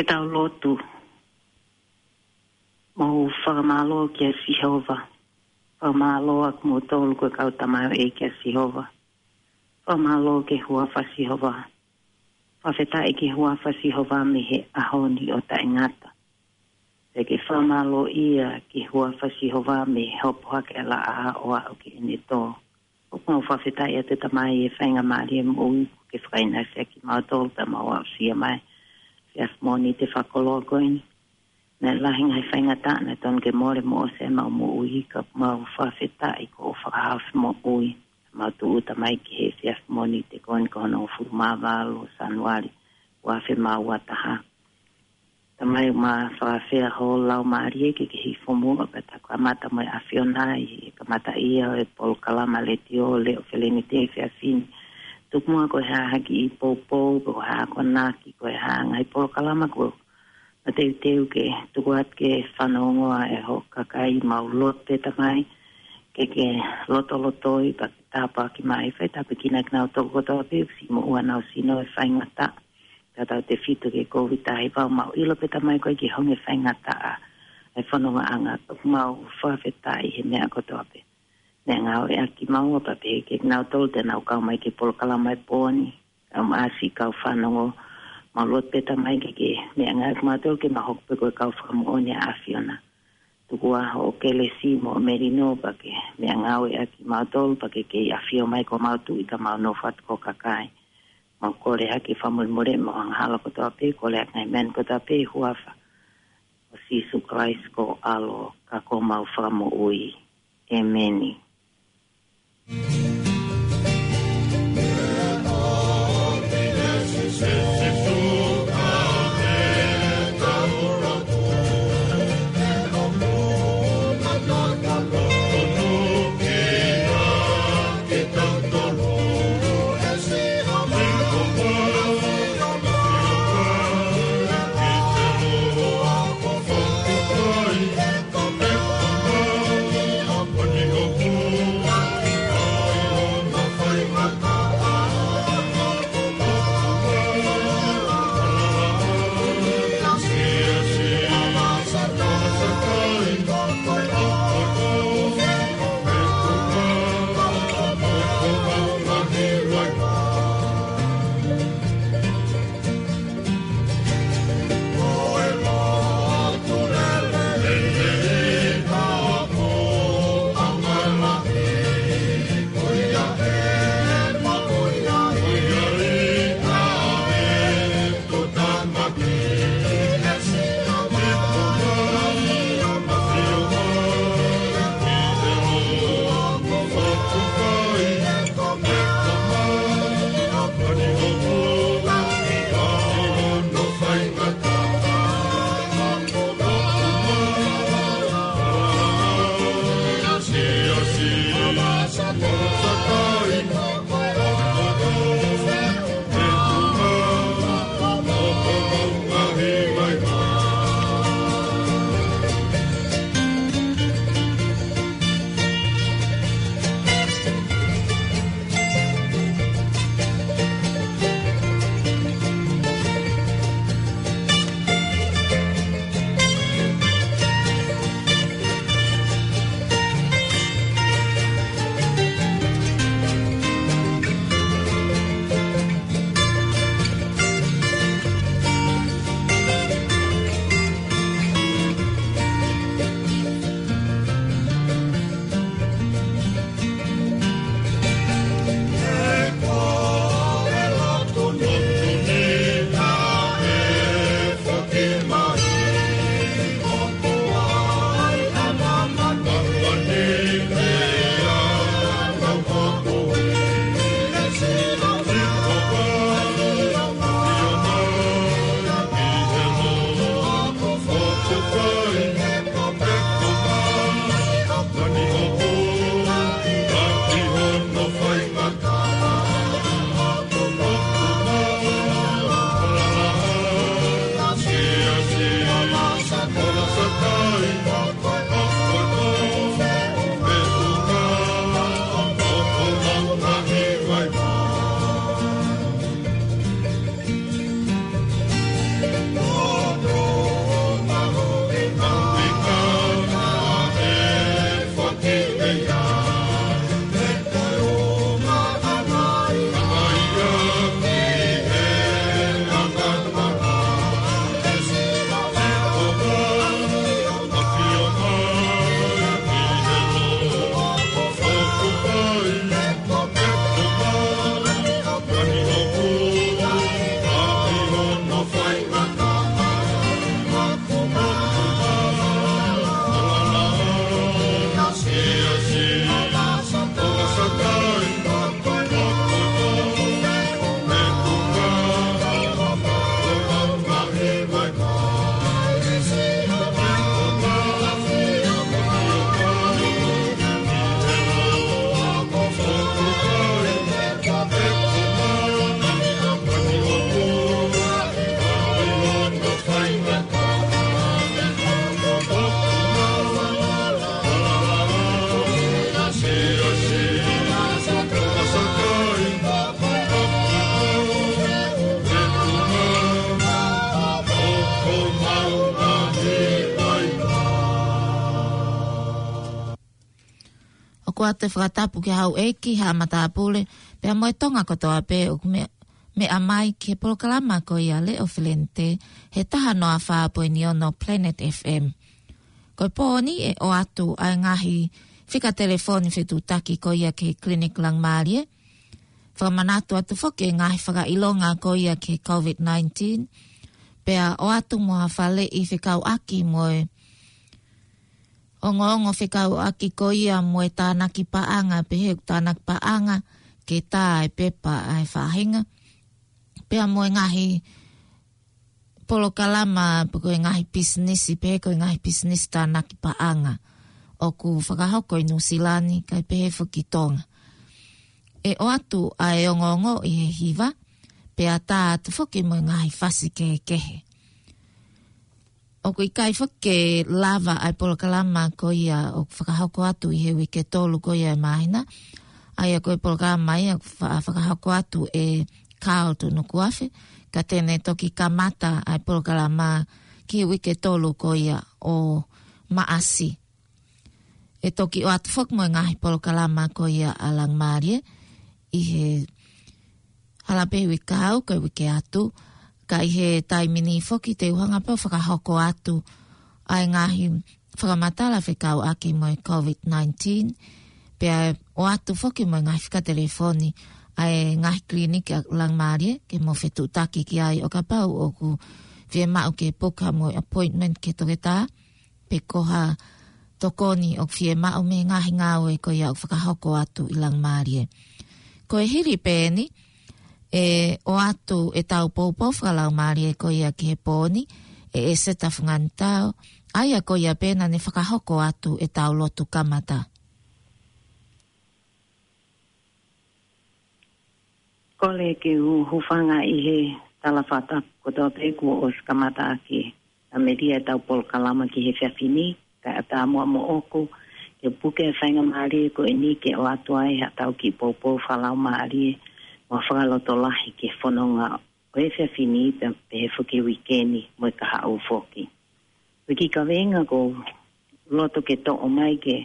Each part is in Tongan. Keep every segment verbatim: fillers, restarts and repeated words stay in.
Ke tau lotu. Mau fakamālō kia Sihova. Fakamālō ʻamoutolu ko e kau tamaioʻeiki ʻa Sihova. Fakamālō ki he huafa ʻo Sihova. Fakafetaʻi ki he huafa ʻo Sihova mei he ʻaho ni ʻo taʻengata. Pea ke fakamālō ia ki he huafa ʻo Sihova mei he hopo hake ʻa e laʻā ʻo aʻu ki heʻene tō. ʻOku mau fakafetaʻi atu Tamai he faingamālie moʻui kuo ke fakaʻinasi ʻaki kimautolu pea mau aʻusia mai he efiafi Mōnite fakakoloa ko eni. Naʻe lahi ngaahi faingataʻa naʻe tonu ke mole mo ʻosi ʻemau moʻui, ka ʻoku mau fakafetaʻi ko hoʻo fakahaofi moʻui. Mau tūʻuta mai ki he efiafi Mōnite ko eni ko hono hongofulu mā valu ʻo Sānuali, ua afe mā ua taha. Tamai, mau fakafetaʻi ho laumālie ke ke hifo muʻa pea ta kamata mo e ʻAfiona ʻi he kamataʻia ʻo e polokalama letiō Leʻo Felenite he efiafi ni. Tuku muʻa ko e hā ha kiʻi poupou, ko e hā ha akonaki, ko e hā ha ngaahi polokalama kuo mateuteu ke tuku atu ke fanongo ai hoʻo kakai, mau lotu pē Tamai ke ke lotolotoi pea ke tāpuaki mai, fai tāpuekina kinautolu kotoa pē ʻoku siʻi moʻua honau sino he faingataʻa, tautautefito ki he Kōviti taha hiva. Mau ʻilo pē Tamai ko e ʻikai ke honge faingataʻa ʻa e fonongaʻanga, ka ʻoku mau fakafetaʻi he meʻa kotoa pē. Meʻangāue ʻaki kimaua pea pehē ki he kinautolu te nau kau mai ki he polokalama he pō ni, ʻa e siʻi kau fanongo. Mau lotu pē Tamai ke ke meʻangāueʻaki kimautolu ke mau hoko pē ko e kau fakamoʻoni ʻa e ʻAfiona. Tuku ā hoʻo kelesi mo e melino pea ke meʻangāueʻaki kimautolu pea ke ke ʻafio mai ko homau Tuʻi ka mau nofo atu ko ho kakai. Mau kole ʻaki e fakamolemole mo e angahala kotoa pē, kole ʻaki e ngaahi meʻa ni kotoa pē ʻi he huafa ʻo Sīsū Kalaisi ko ho ʻAlo ka ko homau Fakamoʻui. ʻEmeni. ʻOatu e fakatapu ki he houʻeiki, haʻa matāpule, pea mo e Tonga kotoa pē ʻoku meʻa, meʻa mai ki he polokalama ko ia Leʻo Felente, he taha noa fā poini ono Planet F M. Ko e pō ni ʻe ʻoatu ʻa e ngaahi fika telefoni fetuʻutaki ko ia ki he Clinic Langmālie. Fakamanatu atu foki e ngaahi fakaʻilonga ko ia ki he COVID nineteen. Pea ʻoatu mo ha faleʻi fekauʻaki mo e ongoongo fekauʻaki ko ia mo e tānaki paʻanga, pehē ʻoku tānaki paʻanga ke tā e pepa ʻa e faʻahinga. Pea mo e ngaahi polokalama, pe ko e ngaahi pisinisi, pehē ko e ngaahi pisinisi tānaki paʻanga ʻoku fakahoko ʻi Nuʻusila ni, kae pehē foki Tonga. ʻE ʻoatu ʻa e ongoongo ʻi he hiva, pea tā atu foki mo e ngaahi fasi kehekehe. ʻOku ʻikai foki ke lava ʻa e polokalama ko ia ʻoku fakahoko atu ʻi he uike tolu ko ia ʻo e māhina. ʻA ia ko e polokalama ia ʻoku fa-, fakahoko atu ʻe Carl Tunukuafe, ka te ne toki kamata ʻa e polokalama ki he uike tolu ko ia ʻo Maʻasi. ʻE toki ʻoatu foki mo e ngaahi polokalama ko ia ʻa Langmālie ʻi he hala pē uike kahaʻu, ko e uike atu, ka ʻi he taimi ni foki te u hanga pē ʻo fakahoko atu ʻa e ngaahi fakamatala fekauʻaki mo e COVID nineteen, pea ʻoatu foki mo e ngaahi fika telefoni ʻa e ngaahi kiliniki ʻa Langmālie ke mou fetuʻutaki ki ai ʻo kapau ʻoku fiemaʻu ke puka mo e appointment ki he toketā, pe ko ha tokoni ʻoku fiemaʻu mei he ngaahi ngāue ko ia ʻoku fakahoko atu ʻi Langmālie. Ko e hili pē eni, ʻe ʻoatu ʻetau poupou fakalaumālie ko ia ki he pō ni, ʻe ʻEseta Funganitao, ʻa ia ko ia pē naʻa ne fakahoko atu ʻetau lotu kamata. Kole ke u hūfanga ʻi he tala fakatapu kotoa pē kuo ʻosi kamata ʻaki ʻa e meʻa ʻetau polokalama ki he efiafi ni, kae ʻatā muʻa moʻoku ke puke e faingamālie ko eni ke ʻoatu ai haʻatau kiʻi poupou fakalaumālie mo e fakalotolahi ki he fononga ʻo e efiafi ni pea pehē foki uike ni mo e kahaʻu foki. Ko e kiʻi kaveinga ʻoku ou loto ke toʻo mai ke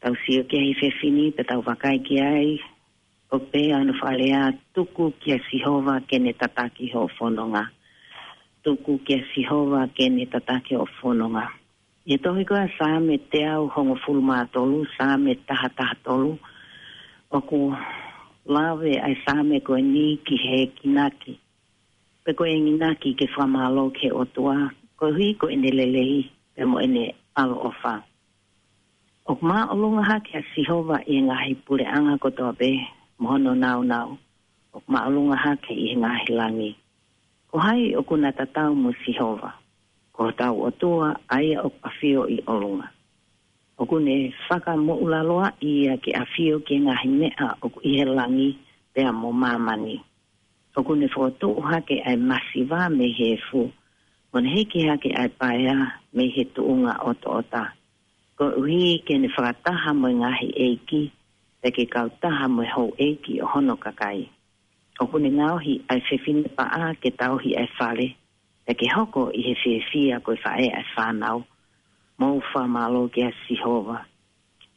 tau sio ki ai he efiafi ni pea tau vakai ki ai, ʻoku pehē hono fakalea: Tuku kia Sihova ke ne tataki hoʻo fononga. Tuku kia Sihova ke ne tataki hoʻo fononga. ʻI he tohi ko ia Saame teau hongofulu mā tolu, Saame taha taha tolu, ʻoku lave ʻa e Saame ko eni ki he enginaki, pe ko e enginaki ke fakamālō ki he ʻOtua, koeʻuhi ko ʻene lelei pea mo ʻene ʻaloʻofa. ʻOku māʻolunga hake ʻa Sihova ʻi he ngaahi puleʻanga kotoa pē mo hono nāunau, ʻoku māʻolunga hake ʻi he ngaahi langi. Ko hai ʻoku na tatau mo Sihova? Ko hotau ʻOtua, ʻa ia ʻoku ʻafio ʻi ʻolunga. ʻOku ne fakamoʻulaloaʻi ia ke ʻafio ki he ngaahi meʻa ʻoku ʻi he langi pea mo māmani. ʻOku ne fokotuʻu hake ʻa e masiva mei he efu, mo ne hiki hake ʻa e paea mei he tuʻunga ʻotoʻota, koeʻuhi ke ne fakataha mo e ngaahi ʻeiki, pea ke kautaha mo e houʻeiki ʻo hono kakai. ʻOku ne ngaohi ʻa e fefine paʻa ke tauhi ʻa e fale, pea ke hoko ʻi he fiefia ko e faʻē ʻa e fānau. Mou fakamālō kia Sihova.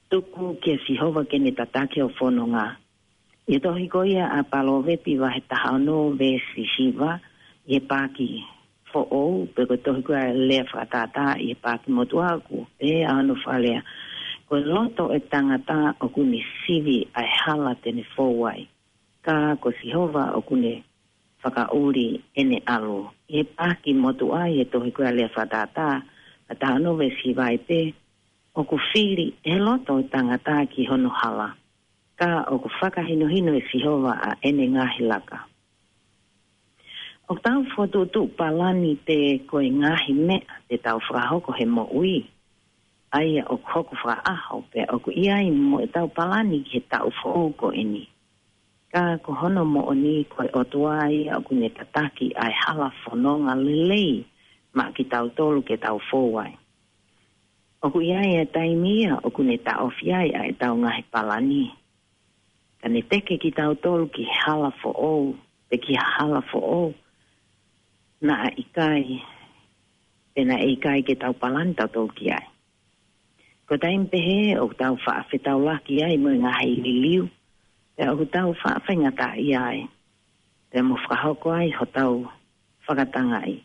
Tuku kia Sihova ke ne tataki hoʻo fononga. ʻI he tohi ko ia ʻa Palōvepi vahe taha ono veesi hiva, ʻi he paaki foʻou, pe ko e tohi ko ia Lea Fakatātā ʻi he paaki motuʻa, ʻoku pehē hono fakalea: Ko e loto ʻo e tangata ʻoku ne sivi ʻa e hala te ne fou ai, ka ko Sihova ʻoku ne fakaʻuli ʻene ʻalu. ʻI he paaki motuʻa ʻi he tohi ko ia Lea Fakatātā vahe taha ono veesi hiva ai pē: ʻOku fili ʻe he loto ʻo e tangata ki hono hala, ka ʻoku fakahinohino ʻe Sihova ʻa ʻene ngaahi laka. ʻOku tau fokotuʻutuʻu palani pē ko e ngaahi meʻa te tau fakahoko he moʻui, ʻa ia ʻoku hoko fakaʻaho, pea ʻoku ʻi ai mo ʻetau palani ki he taʻu foʻou ko eni. Ka ko hono moʻoni, ko e ʻOtua ia ʻoku ne tataki ʻa e hala fononga lelei maʻa kitautolu ke tau fou ai. ʻOku ʻi ai e taimi ia ʻoku ne taʻofi ai ʻa ʻetau ngaahi palani, ka ne teke kitautolu ki he hala foʻou, pe ki ha hala foʻou naʻa ʻikai, pe naʻe ʻikai ke tau palani tautolu ki ai. Ko e taimi pehē ʻoku tau faʻa fetaulaki ai mo e ngaahi liliu, pea ʻoku tau faʻa faingataʻaʻia ai, pea mo fakahoko ai hotau fakatangaʻi.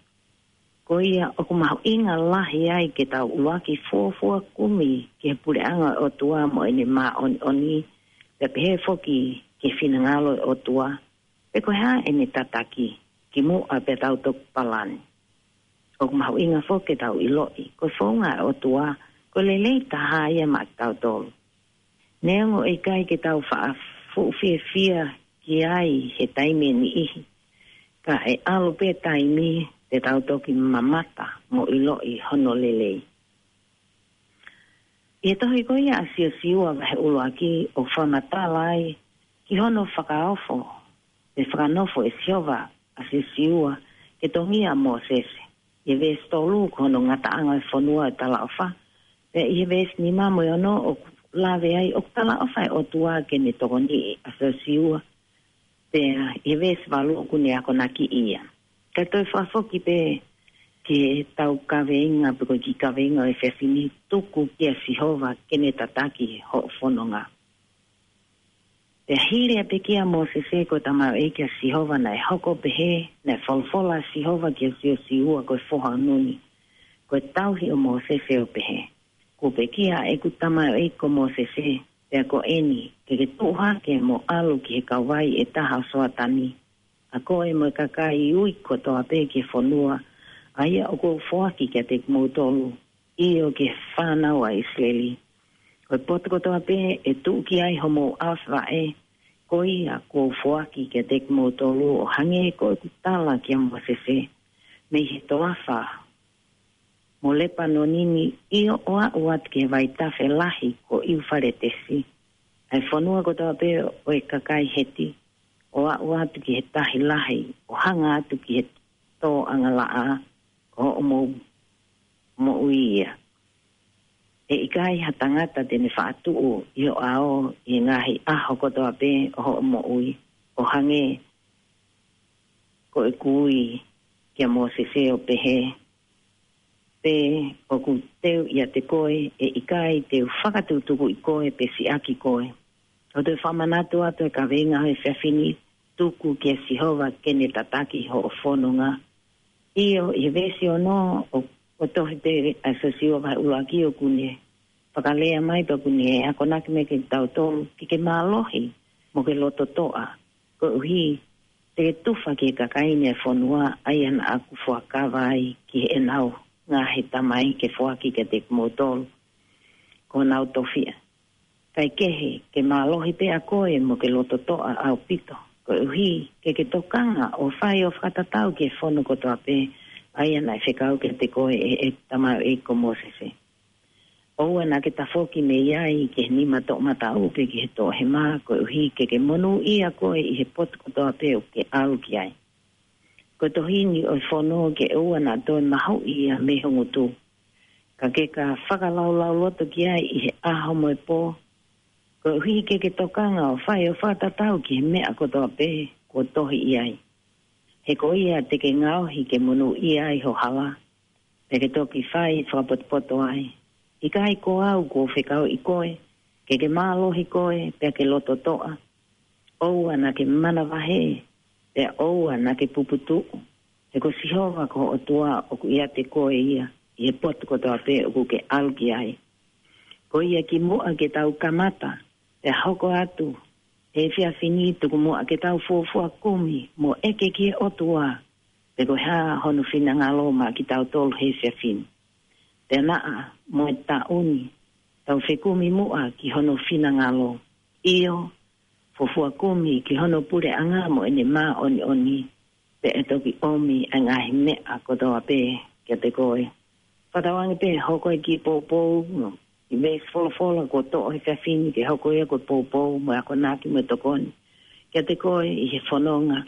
Ko ia ʻoku mahuʻinga lahi ai ke tau ʻuluaki fuofua kumi ki he puleʻanga ʻo e ʻOtua mo ʻene māʻoniʻoni, pea pehē foki ki he finangalo ʻo e ʻOtua, pe ko e hā ʻene tataki, kimuʻa pea tau toki palani. ʻOku mahuʻinga foki ke tau ʻiloʻi ko e founga ʻo e ʻOtua ko e lelei taha ia maʻa kitautolu. Neongo ʻe ʻikai ke tau faʻa fuʻu fiefia ki ai he taimi ʻe niʻihi, ka ʻe ʻalu pē taimi te tau toki mamata mo ʻiloʻi hono lelei. ʻI he tohi ko ia ʻa Siosiua vahe ʻuluaki ʻoku fakamatala ai ki hono fakaofo pe fakanofo ʻe Sihova ʻa Siosiua ke tongia ʻa Mōsese. ʻI he veesi tolu ko hono ngataʻanga ʻo e fonua ʻo e talaʻofa. Pea ʻi he veesi nima mo e ono ʻoku lave ai ʻoku talaʻofa ʻa e ʻOtua ke ne tokoniʻi ʻa Siosiua. Pea ʻi he veesi valu ʻoku ne akonakiʻi ia. Ka toe fakafoki pē ki heʻetau kaveinga pe ko e kiʻi kaveinga ʻo e efiafi ni, tuku kia Sihova ke ne tataki hoʻo fononga. Pea hili ʻa e pekia ʻa Mōsese ko e tamaioʻeiki ʻa Sihova naʻe hoko pehē, naʻe folofola ʻa Sihova kia Siosiua ko e foha ʻo Nuni, ko e tauhi ʻo Mōsese ʻo pehē, Kuo pekia ʻeku tamaioʻeiki ko Mōsese, pea ko eni, ke ke tuʻu hake mo ʻalu ki he kauvai ʻe taha ʻo Soatani, ʻa koe mo e kakai ui kotoa pē ki he fonua, ʻa ia ʻoku ou foaki kiate kimoutolu, ʻio ki he fānau ʻa ʻIsileli. Ko e potu kotoa pē ʻe tuʻu ki ai homou ʻaofi vaʻe, ko ia kuo u foaki kiate kimoutolu ʻo hangē ko ʻeku tala kia Mōsese, mei he toafa mo Lepanoni ni, ʻio ʻo aʻu atu ki he vaitafe lahi ko ʻIufaletesi, ʻa e fonua kotoa pē ʻo e kakai Heti, ʻo aʻu atu ki he tahi lahi, ʻo hanga atu ki he tō angalaʻā, ko hoʻomou moʻui ia. ʻE ʻikai ha tangata te ne faʻa tuʻu ʻi ho ʻao ʻi he ngaahi ʻaho kotoa pē ʻo hoʻo moʻui, ʻo hangē ko ʻeku ui kia Mōsese ʻo pehē, pea ʻoku teu ʻiate koe, ʻe ʻikai te u fakatukutukuʻi koe pe siʻaki koe. ʻOku ou toe fakamanatu atu e kaveinga ʻo e efiafi ni, tuku kia Sihova ke ne tataki hoʻo fononga. ʻIo, ʻi he veesi ono ʻo, ʻo e tohi pē ʻa Siosiua vahe ʻuluaki ʻoku ne fakalea mai pea ʻoku ne akonaki mai kia kitautolu, ke ke mālohi mo ke lototoʻa, koeʻuhi te ke tufa ki he kakai ni ʻo e fonua, ʻa ia naʻa ku fuakava ai ki heʻenau ngaahi tamai ke foaki kiate kimoutolu ko honau tofiʻa. Kae kehe, ke mālohi pē ʻa koe mo ke lototoʻa ʻaupito, koeʻuhi ke ke tokanga ʻo fai ʻo fakatatau ki he fono kotoa pē, ʻa ia naʻe fekau kiate koe ʻe, ʻe tamaioʻeiki ko Mōsese. ʻOua naʻa ke tafoki mei ai ki he nima toʻomataʻu pe ki he toʻohema, koeʻuhi ke ke monūʻia koe ʻi he potu kotoa pē ʻoku ke ʻalu ki ai. Ko e tohi ni ʻo e fono ke ʻoua naʻa toe mahuʻi ia mei ho ngutu, ka ke ka fakalaulauloto ki ai ʻi he ʻaho mo e pō, koeʻuhi ke ke tokanga ʻo fai ʻo fakatatau ki he meʻa kotoa pē kuo tohi ʻi ai. He ko ia te ke ngaohi ke monūʻia ai ho hala, pea ke toki fai fakapotopoto ai. ʻIkai ko au kuo fekauʻi koe, ke ke mālohi koe, pea ke lototoʻa? ʻOua naʻa ke manavahē, pea ʻoua naʻa ke puputuʻu. He ko Sihova ko ho ʻOtua ʻoku ʻiate koe ia ʻi he potu kotoa pē ʻoku ke ʻalu ki ai. Ko ia kimuʻa ke tau kamata, pea hoko atu he efiafi ni, tuku muʻa ke tau fuofua kumi mo ʻeke ki he ʻOtua, pe ko e hā hono finangalo maʻa kitautolu he efiafi ni. Pea naʻa mo e taʻu ni, tau fekumi muʻa ki hono finangalo. ʻIo, fuofua kumi ki hono puleʻanga mo ʻene māʻoniʻoni, pea ʻe toki ʻomi ʻa e ngaahi meʻa kotoa pē kiate koe. Fakatauange pē hoko e kiʻi poupou, ʻi he veesi folofola kuo toʻo he efiafi ni ke hoko ia ko e poupou mo e akonaki mo e tokoni kiate koe ʻi he fononga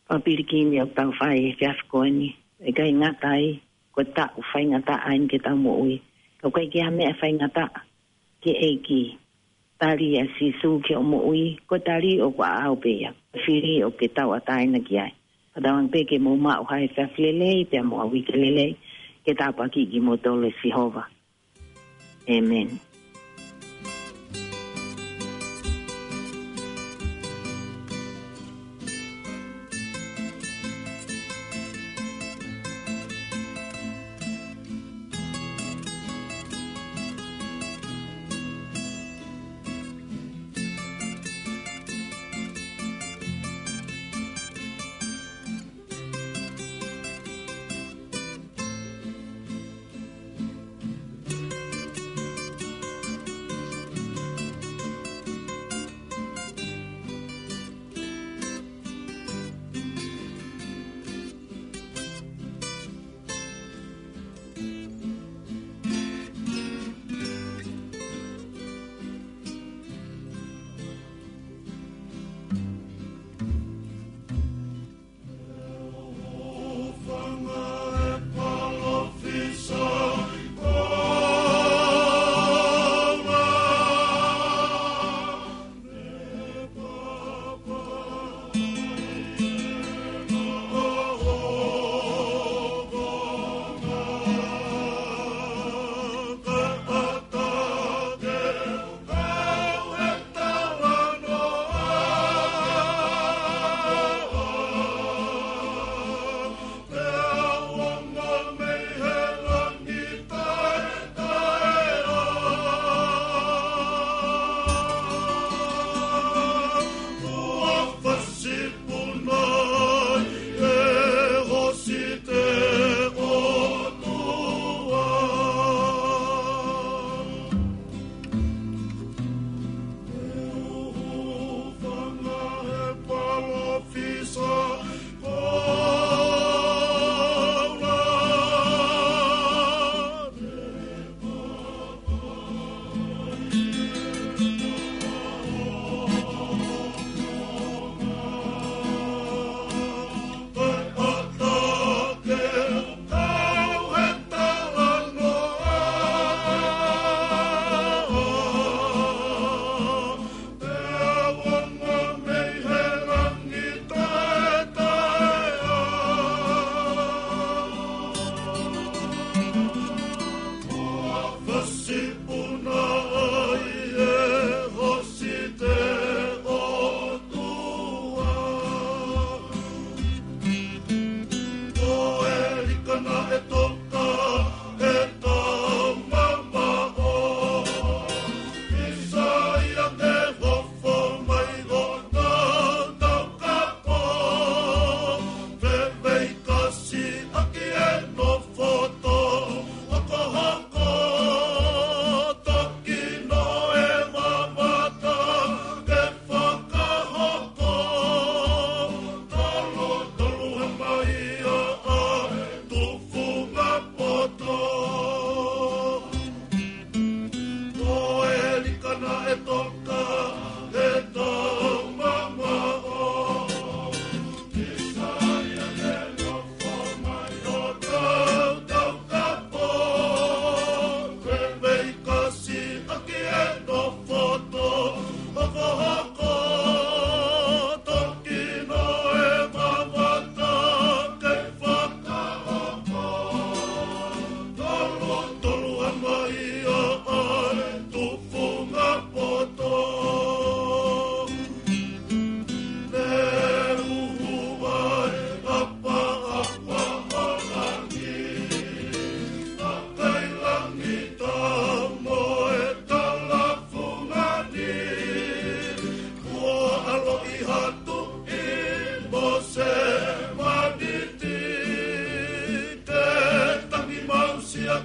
fakapilikia ʻoku tau fai he efiafi ko eni. ʻIkai ngata ai, ko e taʻu faingataʻa eni ke tau moʻui. Ka ʻoku ʻikai ke ʻi ai ha meʻa faingataʻa ki he ʻEiki. Tali ʻa Sīsū ki hoʻo moʻui, ko e tali ʻoku ʻaʻau pē ia, ko e fili ʻoku ke tauʻatāina ki ai. Fakatauange pē ke mou maʻu ha efiafi lelei, pea mo ha uike lelei, ke tāpuakiʻi kimoutolu ʻe Sihova. ʻĒmeni.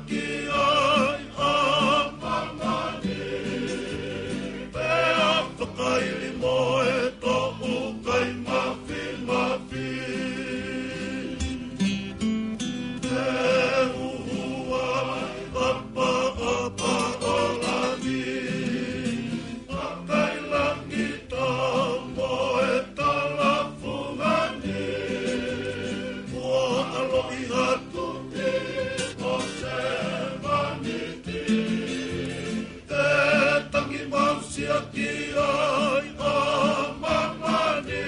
Ki ai ʻa māmani, pea fakaili mo e toʻukai mafimafi. Te uhu ai ʻa paʻapaʻa ʻo langi, ʻa kai langi tau mo e tala fungani. Ua ʻaloʻi atu ki ʻo se maniti. Te tangi mausia ki ai ʻa māmani,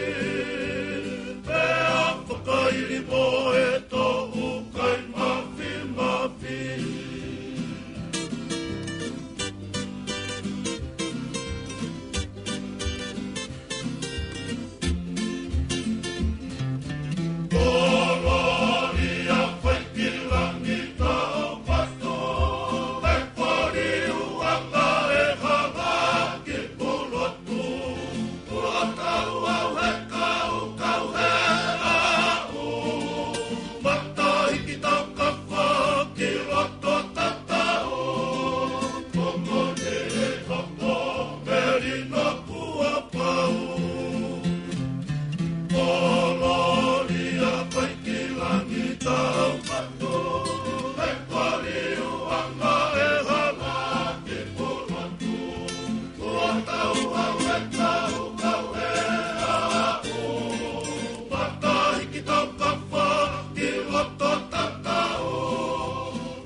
pea fakaili mo e toʻukai mafimafi.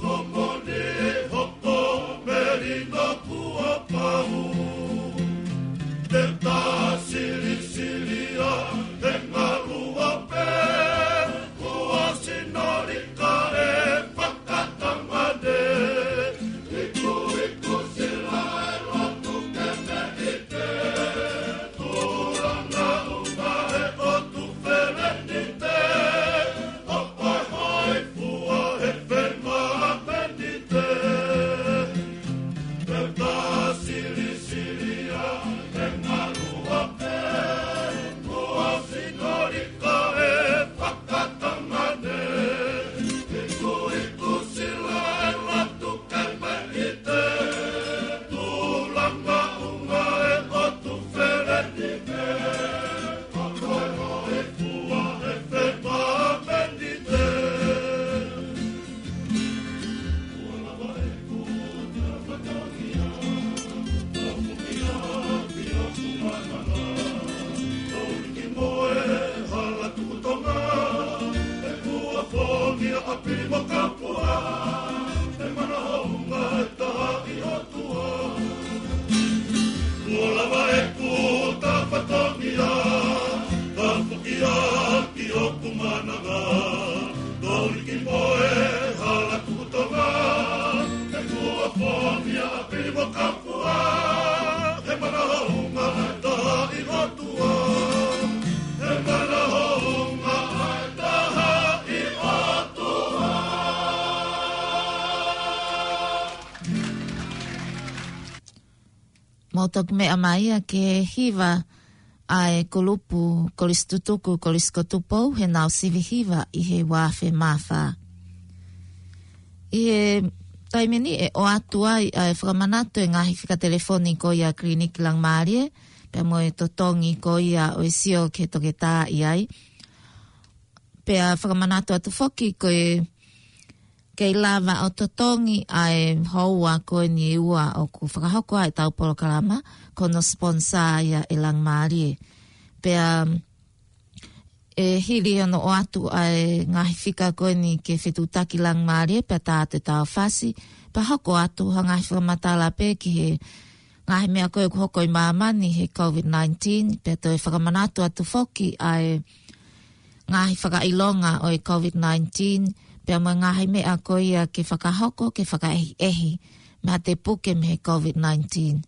Ko moni hopo melino kuo pau. Te ta silisili ʻa e ngaluope, kuo sinoli ka e fakatangane. Iku, iku sila e lotu ke me ʻite. Tula na uma e ʻotu felenite. Hopo hoi fua he fema menite. Pea ta silisili ʻa e ngaluope, kuo sinoli ka e fakatangane. Iku, iku sila e lotu ke me ʻite. Tula na uma e ʻotu felenite. Kuo lava e kuta fatongia, ka foki ʻaki hoku mananga. Tau liki mo e hala kutonga, he kuo fonia ʻa pili mo kapua. He mana hounga ʻa e taha ʻi ʻOtua. He mana hounga ʻa e taha ʻi ʻOtua. Mau toki meʻa mai ia ki he hiva ʻa e kulupu Kolisi Tutuku, Kolisi ko Tupou, heʻenau sivi hiva ʻi he ua afe mā fā. ʻI he taimi ni ʻe ʻoatu ai ʻa e fakamanatu e ngaahi fika telefoni ko ia Kiliniki Langimālie, pea mo e totongi ko ia ʻo e sio ki he toketā ʻi ai. Pea fakamanatu atu foki ko e kei lava ʻo totongi ʻa e houa ko eni ʻe ua ʻoku fakahoko ai ʻetau polokalama, ko hono sponsor ia ʻe Langimālie. Pea ʻe hili hono ʻoatu ʻa e ngaahi fika ko eni ke fetuʻutaki Langimālie, pea tā atu ʻetau fasi, pea hoko atu ha ngaahi fakamatala pē ki he ngaahi meʻa ko ē ʻoku hoko ʻi māmani he COVID nineteen, pea toe fakamanatu atu foki ʻa e ngaahi fakaʻilonga ʻo e COVID nineteen, pea mo e ngaahi meʻa ko ia ke fakahoko, ke fakaʻehiʻehi, mei ha te puke mei he COVID nineteen.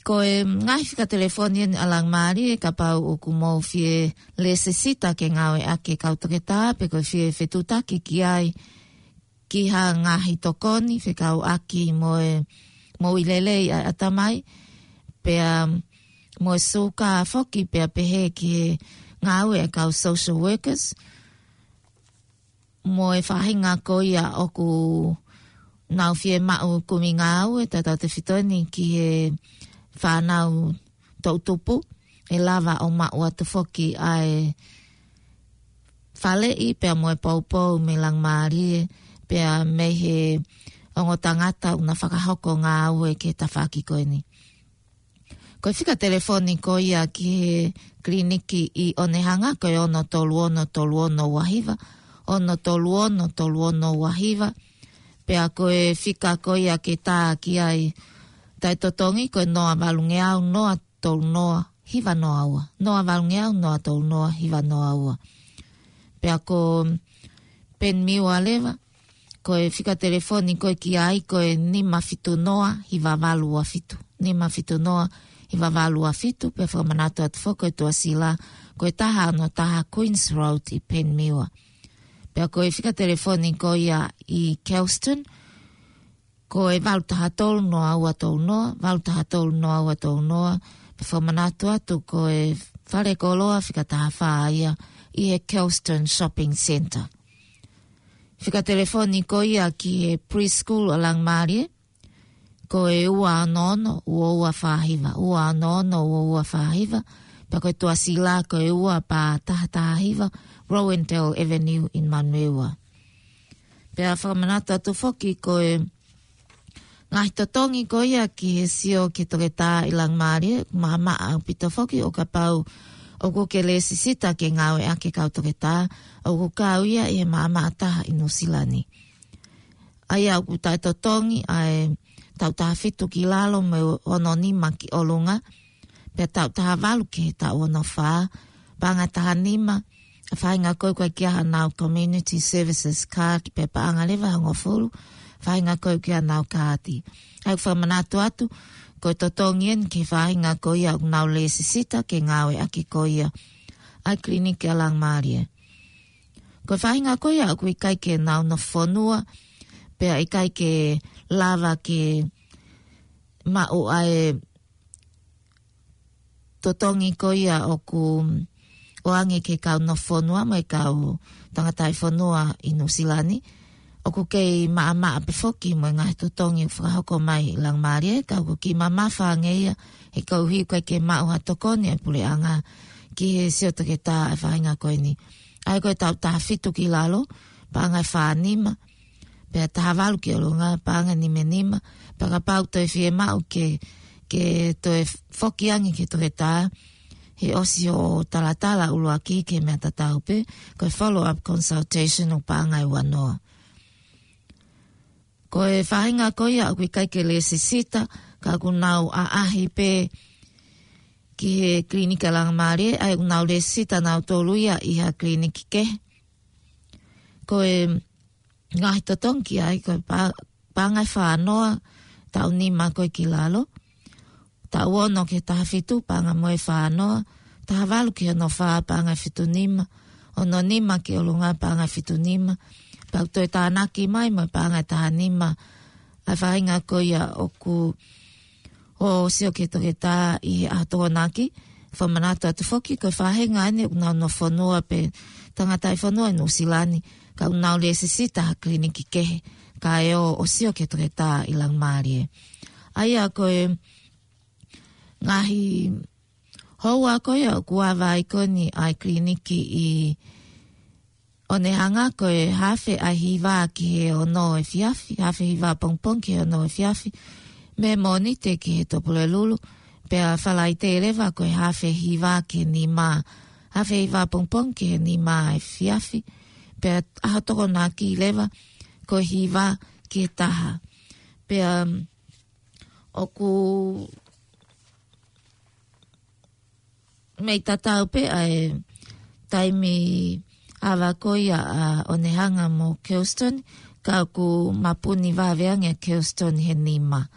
Ko e ngaahi fika telefoni eni ʻa Langimālie, kapau ʻoku mou fie lēsisita ke ngāueʻaki e kau toketā, pe ko e fie fetuʻutaki ki ai, ki ha ngaahi tokoni fekauʻaki mo e moʻui lelei ʻa e ʻatamai, pea mo e suka foki, pea pehē ki he ngāue ʻa e kau social workers. mo e faʻahinga ko ia ʻoku nau fiemaʻu kumi ngāue, tautautefito eni ki he fānau toʻutupu, ʻe lava ʻo maʻu atu foki ʻa e faleʻi pea mo e poupou mei Langimālie, pea mei he ongo tangata ʻoku na fakahoko ngāue ki he tafaʻaki ko eni. Ko e fika telefoni ko ia ki he kiliniki ʻi ʻOnehanga, ko e ono tolu ono tolu ono ua hiva, ono tolu ono tolu ono ua hiva, pea ko e fika ko ia ke tā ki ai taʻetotongi, ko e noa valungeau noa tolu noa hiva noa ua. Noa valungeau noa tolu noa hiva noa ua. Pea ko Peni Miua leva, ko e fika telefoni ko ē ki ai, ko e nima fitu noa hiva valu ua fitu. Nima fitu noa hiva valu ua fitu, pea fakamanatu atu foki ko e tuʻasila, ko e taha ono taha Queens Road ʻi Peni Miua. Pea ko e fika telefoni ko ia ʻi Kelston, ko e valu taha tolu noa ua tolu noa, valu taha tolu noa ua tolu noa, pea fakamanatu atu ko e fale koloa fika taha fā ia ʻi he Kelston Shopping Centre. Fika telefoni ko ia ki he preschool ʻa Langimālie, ko e ua ono ono ua ua fā hiva, ua ono ono ua ua fā hiva, pea ko e tuʻasila ko e ua pā taha taha hiva, Rowandale Avenue ʻi Manurewa. Pea fakamanatu atu foki ko e ngaahi totongi ko ia ki he sio ki he toketā ʻi Langimālie, maʻamaʻa ʻaupito foki ʻo kapau ʻoku ke lēsisita ke ngāueʻaki e kau toketā, ʻoku kau ia ʻi he maʻamaʻa taha ʻi Nuʻusila ni. ʻA ia ʻoku taʻetotongi ʻa e taʻu taha fitu ki lalo mo e ono nima ki ʻolunga, pea taʻu taha valu ki he taʻu ono fā, paʻanga taha nima, ʻa e faʻahinga ko ē ʻoku ʻikai ke ʻi ai haʻanau Community Services Card, pea paʻanga leva hongofulu, faʻahinga ko ē ʻoku ʻi ai haʻanau kaati. ʻA ia ʻoku fakamanatu atu, ko e totongi eni ki he faʻahinga ko ia ʻoku nau lēsisita ke ngāueʻaki ko ia ʻa e kiliniki ʻa Langimālie. Ko e faʻahinga ko ia ʻoku ʻikai ke nau nofo fonua, pea ʻikai ke lava ke maʻu ʻa e totongi ko ia ʻoku ʻoange ki he kau nofo fonua mo e kau tangataʻi fonua ʻi Nuʻusila ni. ʻOku kei maʻamaʻa pē foki mo e ngaahi totongi ʻoku fakahoko mai ʻi Langimālie, ka ʻoku kiʻi mamafa ange ia, he koeʻuhi ʻoku ʻikai ke maʻu ha tokoni ʻa e puleʻanga ki he sio toketā ʻa e faʻahinga ko eni. ʻA ia ko e taʻu taha fitu ki lalo, paʻanga ʻe fā nima, pea taha valu ki ʻolunga, paʻanga ʻe nima nima, pea kapau toe fiemaʻu ke, ke toe foki ange ki he toketā, he ʻosi hoʻo talatala ʻuluaki ki he meʻa tatau pē, ko e follow-up consultation ʻoku paʻanga ʻe ua noa. Ko e faʻahinga ko ia ʻoku ʻikai ke lēsisita, ka ʻoku nau ʻaʻahi pē ki he kiliniki ʻa Langimālie, ʻa ia ʻoku nau lēsisita nautolu ia ʻi ha kiliniki kehe. Ko e ngaahi totongi ki ai, ko e pa-, paʻanga ʻe fā noa, taʻu nima ko ē ki lalo. Taʻu ono ki he taha fitu, paʻanga mo e fā noa. Taha valu ki he ono fā, paʻanga ʻe fitu nima. Ono nima ki ʻolunga, paʻanga ʻe fitu nima. Pea ʻoku toe tānaki mai mo e paʻanga ʻe taha nima ʻa e faʻahinga ko ia ʻoku ʻo sio ki he toketā ʻi he ʻaho Tokonaki. Fakamanatu atu foki ko e faʻahinga eni ʻoku nau nofo fonua pe tangataʻi fonua ʻi Nuʻusila ni, ka ʻoku nau lēsisita ha kiliniki kehe, kae ō ʻo sio ki he toketā ʻi Langimālie. ʻA ia ko e ngaahi houa ko ia ʻoku ava ai ko eni ʻa e kiliniki ʻi ʻOnehanga, ko e haafe ʻa e hiva ki he ono efiafi, haafe hiva pongipongi ki he ono efiafi, mei Mōnite ki he Tupulelulu, pea Falaite leva ko e haafe hiva ki he nima, haafe hiva pongipongi ki he nima efiafi, pea ʻaho Tokonaki leva ko e hiva ki he taha. Pea, um, ʻoku mei tatau pē ʻa e taimi ava ko ia ʻa ʻOnehanga mo Kelston, ka ʻoku mapuni vave ange ʻa Kelston he nima.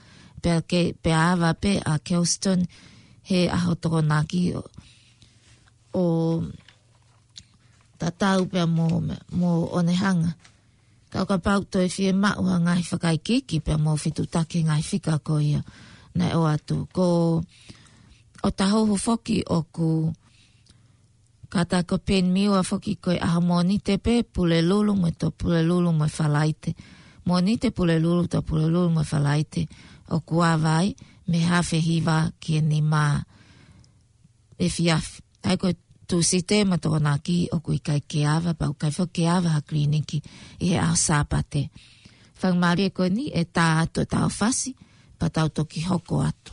Pea ke, pea ava pē ʻa Kelston he ʻaho Tokonaki ʻo, ʻo tatau pea mo, mo ʻOnehanga. Ka ʻo kapau toe fiemaʻu ha ngaahi fakaikiiki pea mo fetutaki ngaahi fika ko ia naʻe ʻoatu. Ko ʻOtahuhu foki ʻoku Pea tā ko Penimiua foki ko e ʻaho Mōnite pē Pulelulu mo e Tō Pulelulu mo e Falaite. Mōnite Pulelulu, Tō Pulelulu mo e Falaite. ʻOku ava ai mei he hafe hiva ki he nima efiafi. ʻA ia ko e Tūsite mo Tokonaki ʻoku ʻikai ke ava, pea ʻoku ʻikai foki ke ava ha kiliniki ʻi he ʻaho Sāpate. Faingamālie ko eni ʻe tā atu ʻetau fasi, pea tau toki hoko atu.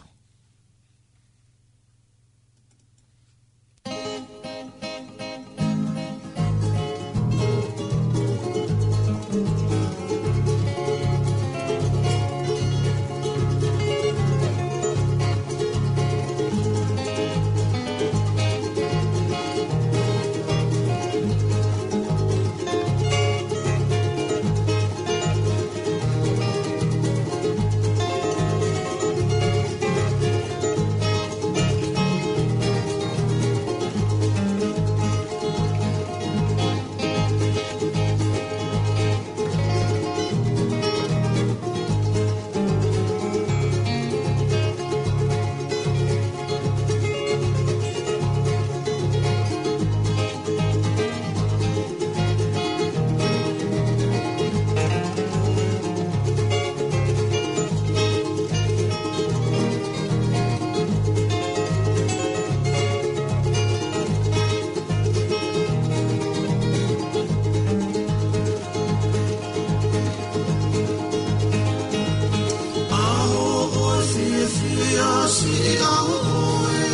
ʻAho ʻo e fiefia, siʻi ʻaho ʻo e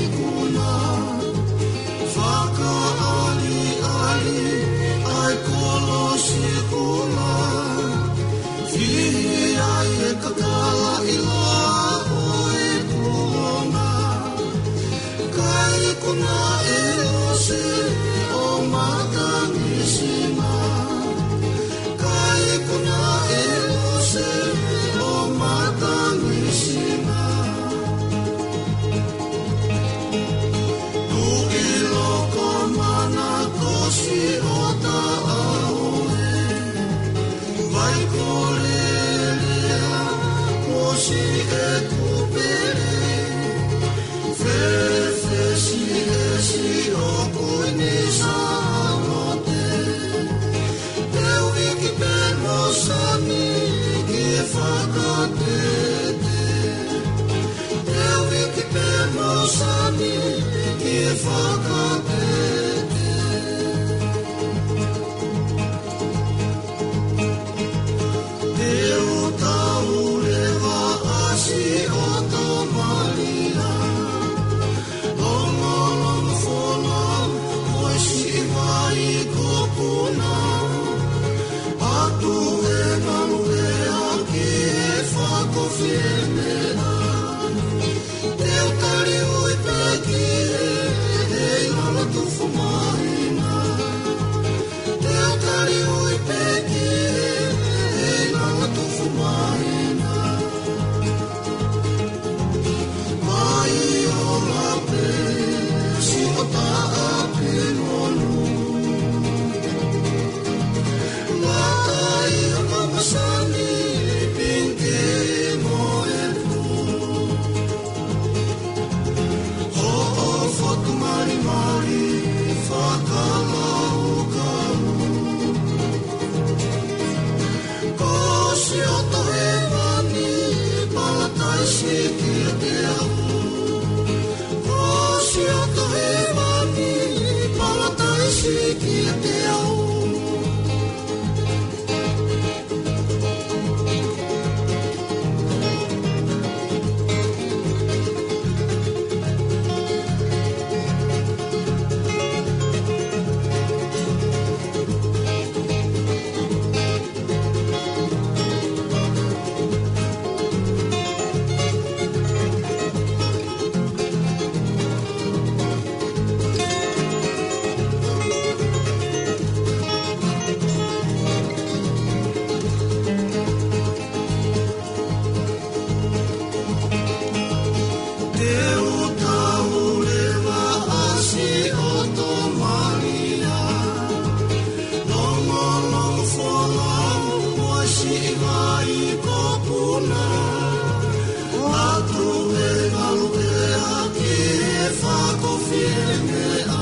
ikuna. Fakaʻaliʻali ʻa e kolosi kula. Fihi ai e kakala ʻiloa ʻo e kuonga. Kae ikuna ʻe Lose ʻo matangi sima. Kae ikuna ʻe Lose ʻo matangi sima. Tuʻi loko mana ko Siʻotaʻaoe. Vai ko Lelea, ko Siʻekupele. Fefesi ʻe Siʻokuini Sālote. Teuiki pē mo Sami ki he fakatete. Teuiki pē mo Sami ki he fakatete. Te u tau leva ʻa Siʻotomalia. Longolongo fonau, ko e siʻi vai ko Puna. ʻAtu e ngaluʻea ki he fakafiemena. Te u tali ui pē ki he, he ilala tufu māhina. Te u tali ui pē ki he, he ilala tufu māhina. Mai o lape, Siʻotaʻa pē monu. Ngata ia ka masani, pinke mo e pū. Hoʻo fotu malimali fakalaukau. Ko Siʻotohēvani, palataisi kiate au. Ko Siʻotohēvani, palataisi kiate au. Te u tau leva ʻa Siʻotomalia. Longolongo fonau ʻo e siʻi vai ko Puna. ʻAtu e ngaluʻea ki he fakafiemena.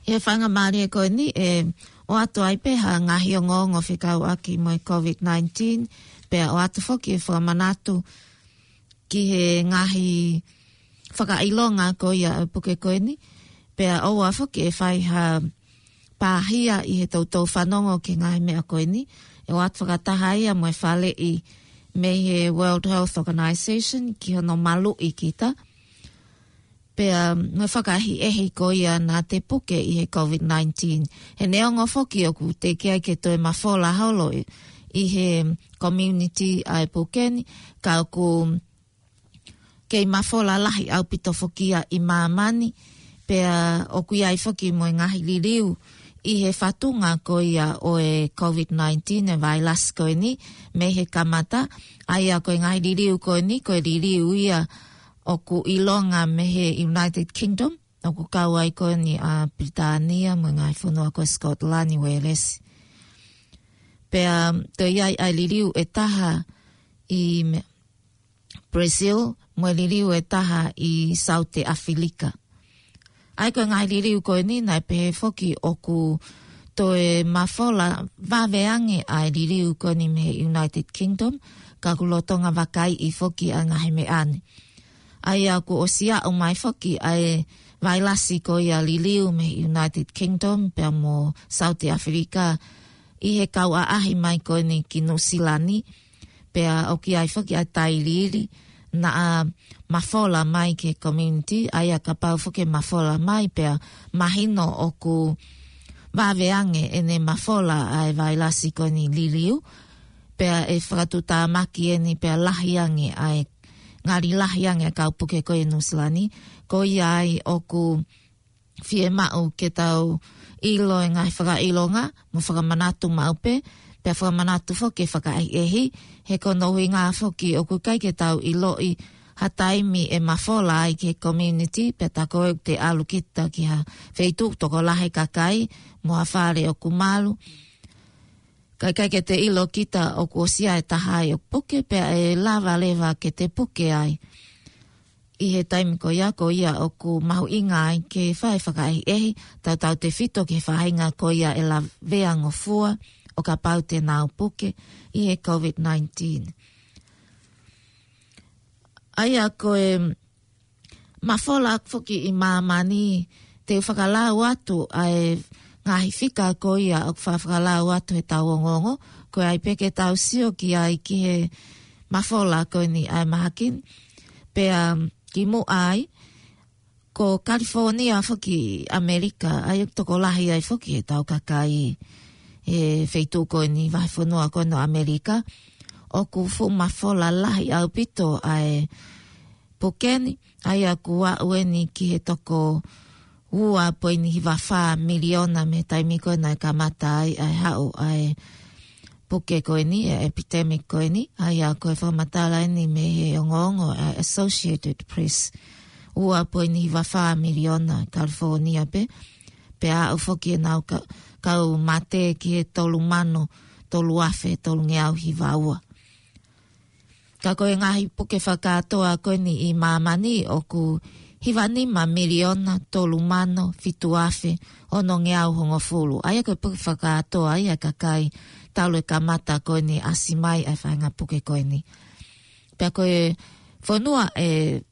ʻI he faingamālie ko eni, ʻe ʻoatu ai pē ha ngaahi ongoongo fekauʻaki mo e COVID nineteen, pea ʻoatu foki e fakamanatu ki he ngaahi fakaʻilonga ko ia ʻo e puke ko eni, pea ʻoua foki ʻe fai ha pāhia ʻi he toutou fanongo ki he ngaahi meʻa ko eni, ʻe ʻoatu fakataha ia mo e faleʻi mei he World Health Organization ki hono maluʻi kita. Pea mo e fakaʻehiʻehi ko ia naʻa te puke ʻi he COVID nineteen. He neongo foki ʻoku teʻeki ai ke toe mafola holo ʻi, ʻi he community ʻa e puke ni, ka ʻoku kei mafola lahi ʻaupito foki ia ʻi māmani, pea ʻoku ʻi ai foki mo e ngaahi liliu ʻi he fatunga ko ia ʻo e COVID nineteen, e vailasi ko eni, mei he kamata. ʻA ia ko e ngaahi liliu ko eni, ko e liliu ia ʻoku ʻilonga mei he United Kingdom, ʻoku kau ai ko eni ʻa Pilitānia mo e ngaahi fonua ko Scotland, Uēlesi. Pea toe ʻi ai ʻa e liliu ʻe taha ʻi me-, Brazil, mo e liliu ʻe taha ʻi Saute ʻAfilika. ʻA ia ko e ngaahi liliu ko eni naʻe pehē foki ʻoku toe mafola vave ange ʻa e liliu ko eni mei he United Kingdom, ka ʻoku lolotonga vakaiʻi foki ʻa e ngaahi meʻa ni. ʻA ia ʻoku ʻosi aʻu mai foki ʻa e vailasi ko ia liliu mei he United Kingdom pea mo Saute ʻAfilika ʻi he kau ʻaʻahi mai ko eni ki Nuʻusila ni, pea ʻoku ʻi ai foki ʻa e tailiili naʻa mafola mai ki he community, ʻa ia kapau foki ʻe mafola mai pea mahino ʻoku vave ange ʻene mafola ʻa e vailasi ko eni liliu, pea ʻe fakatuʻutāmaki eni pea lahi ange ʻa e, ngali lahi ange ʻa e kau puke ko ia ʻi Nuʻusila ni, ko ia ai ʻoku fiemaʻu ke tau ʻilo e ngaahi fakaʻilonga, mo fakamanatu maʻu pē, pea fakamanatu foki e fakaʻehiʻehi, he ko hono ʻuhinga foki ʻoku ʻikai ke tau ʻiloʻi ha taimi ʻe mafola ai ki he community, pea tā ko ē ʻoku te ʻalu kita ki ha feituʻu tokolahi e kakai, mo ha fale ʻoku malu. Ka ʻikai ke te ʻilo kita ʻoku ʻosi ʻa e taha ai ʻoku puke, pea ʻe lava leva ke te puke ai. ʻI he taimi ko ia, ko ia ʻoku mahuʻinga ai ke fai fakaʻehiʻehi, tautautefito ki he faʻahinga ko ia ʻe lavea ngofua ʻo kapau te nau puke ʻi he COVID nineteen. ʻA ia ko e mafola foki ʻi māmani, te u fakalau atu ʻa e ngaahi fika ko ia ʻoku faʻa fakalau atu he tau ongoongo, ko e ʻai pē ke tau sio ki ai ki he mafola ko eni ʻa e mahaki ni. Pea ki muʻa ai, ko California foki ʻAmelika, ʻa ia ʻoku tokolahi ai foki e tau kakai he feituʻu ko eni vahefonua ko eni ʻo ʻAmelika, ʻoku fuʻu mafola lahi ʻaupito ʻa e puke ni, ʻa ia ʻoku aʻu eni ki he toko ua poini hiva fā miliona mei he taimi ko ē naʻe kamata ai ʻa e haʻu ʻa e puke ko eni, e epidemic ko eni, ʻa ia ko e fakamatala eni mei he ongoongo ʻa e Associated Press. ua poini hiva fā miliona California pē, pea aʻu foki ʻenau ka-, kau mate ki he tolu mano tolu afe tolungeau hiva ua. Ka ko e ngaahi puke fakakātoa ko eni ʻi māmani ʻoku hiva nima miliona tolu mano fitu afe onongeau hongofulu. ʻA ia ko e puke fakakātoa ia ʻa e kakai talu e kamata ko eni ʻasi mai ʻa e faʻahinga puke ko eni. Pea ko e fonua ʻe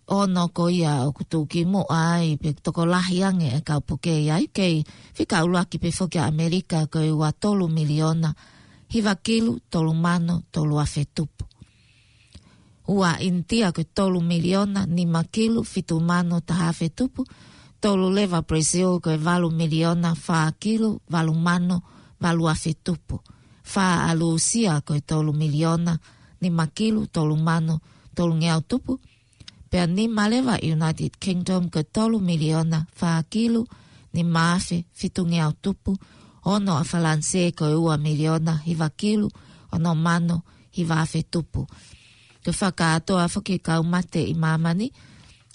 ono ko ia ʻoku tuʻu ki muʻa ai pe tokolahi ange e kau puke ia ai, kei fika ʻuluaki pē foki ʻa ʻAmelika ko e ua tolu miliona hiva kilu tolu mano tolu afe tupu. Ua ʻInitia ko e tolu miliona nima kilu fitu mano taha afe tupu. Tolu leva Brazil ko e valu miliona fā kilu valu mano valu afe tupu. Fā ʻa Lūsia ko e tolu miliona nima kilu tolu mano tolungeau tupu. Pea nima leva United Kingdom ko e tolu miliona fā kilu nima afe fitungeau tupu. Ono ʻa Falanisē ko e ua miliona hiva kilu ono mano hiva afe tupu. Ko e fakakātoa foki e kau mate ʻi māmani.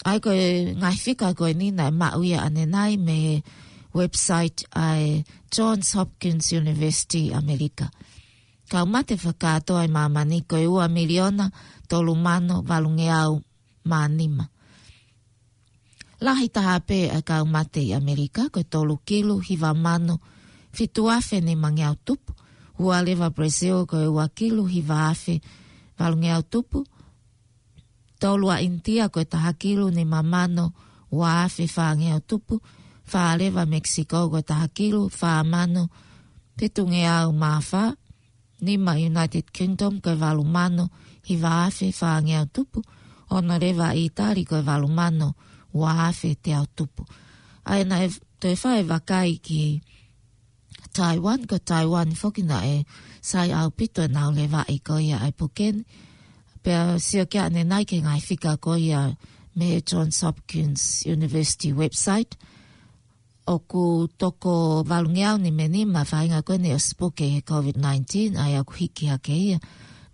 ʻA ia ko e ngaahi fika ko eni naʻe maʻu ia ʻanenai mei he website ʻa e Johns Hopkins University ʻAmelika. Kau mate fakakātoa ʻi māmani ko e ua miliona tolu mano valungeau mā nima. Lahi taha pē ʻa e kau mate ʻi ʻAmelika ko e tolu kilu hiva mano fitu afe nimangeau tupu. Ua leva Brazil ko e ua kilu hiva afe valungeau tupu. Tolu ʻa ʻInitia ko e taha kilu nima mano ua afe fāngeau tupu. Fā leva Mexico ko e taha kilu fā mano fitungeau mā fā. Nima United Kingdom ko e valu mano hiva afe fāngeau tupu. Ono leva ʻItali ko e valu mano ua afe teau tupu. ʻA ia naʻe toe fai e vakai ki Taiwan, ko Taiwan foki naʻe sai ʻaupito ʻenau levaʻi ko ia ʻa e puke ni. Pea sio ki ai ʻanenai ki he ngaahi fika ko ia mei he Johns Hopkins University website. ʻOku toko valungeau nima nima faʻahinga ko eni ʻosi puke he COVID nineteen, ʻa ia ʻoku hiki hake ia.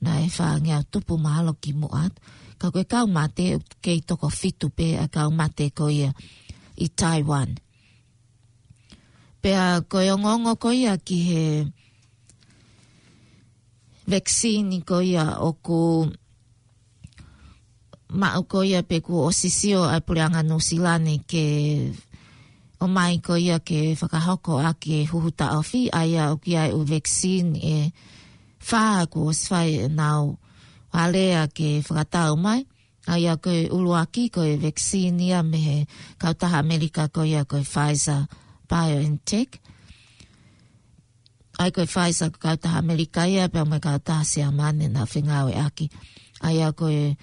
Naʻe fāngeau tupu mahalo ki muʻa atu. Ka ko e kau mate ʻoku kei toko fitu pē ʻa e kau mate ko ia ʻi Taiwan. Pea ko e ongoongo ko ia ki he vaccine ko ia ʻoku maʻu ko ia pe kuo ʻosi sio ʻa e Puleʻanga Nuʻusila ni ke ʻomai ko ia ke fakahoko ʻaki e huhu taʻofi, ʻa ia ʻoku ʻi ai e ʻū vaccine ʻe fā kuo ʻosi fai ʻenau alea ke fakatau mai. ʻA ia ko e ʻuluaki ko e vaccine ia mei he kautaha ʻAmelika ko ia ko e Pfizer BioNTech. ʻA ia ko e Pfizer ko e kautaha ʻAmelika ia pea mo e kautaha Siamane naʻa nau fengāueʻaki. ʻA ia ko e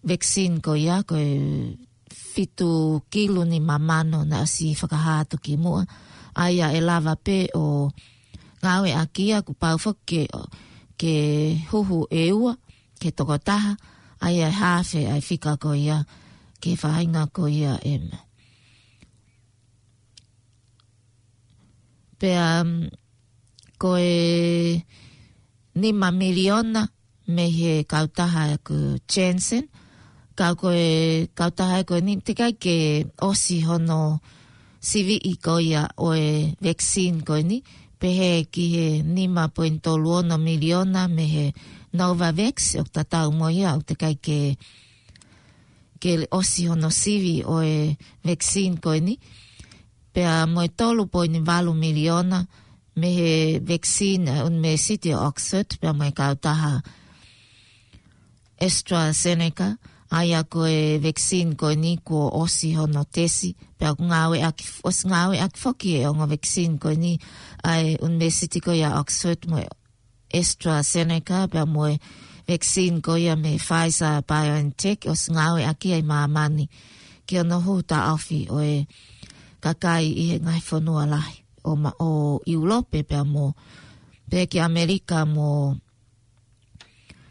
vaccine ko ia ko e fitu kilu nima mano naʻe ʻosi fakahā atu ki muʻa. ʻA ia ʻe lava pē ʻo ngāueʻaki ia kuo pau foki ke, ke huhu ʻe ua, ke toko taha, ʻa ia ʻe haafe ʻa e fika ko ia ki he faʻahinga ko ia ʻe ma. Pea, um, ko e nima miliona mei he kautaha ko Janssen, ka ko e kautaha ko eni teʻeki ai ke ʻosi hono siviʻi ko ia ʻo e vaccine ko eni, pehē ki he nima poini tolu ono miliona mei he Novavax, ʻoku tatau mo ia, ʻoku teʻeki ai ke, ke ʻosi hono sivi ʻo e vaccine ko eni. Pea mo e tolu poini valu miliona mei he vaccine ʻa e ʻUnivēsiti ʻo Oxford, pea mo e kautaha AstraZeneca, ʻa ia ko e vaccine ko eni kuo ʻosi hono tesi, pea ʻoku ngāueʻaki, ʻosi ngāueʻaki foki e ongo vaccine ko eni ʻa e ʻUnivēsiti ko ia Oxford mo e AstraZeneca, pea mo e vaccine ko ia mei Pfizer BioNTech, ʻosi ngāueʻaki ia ʻi māmani ki hono huhu taʻofi ʻo e kakai ʻi he ngaahi fonua lahi ʻo ma-, ʻo ʻIulope pea mo, pea ki ʻAmelika mo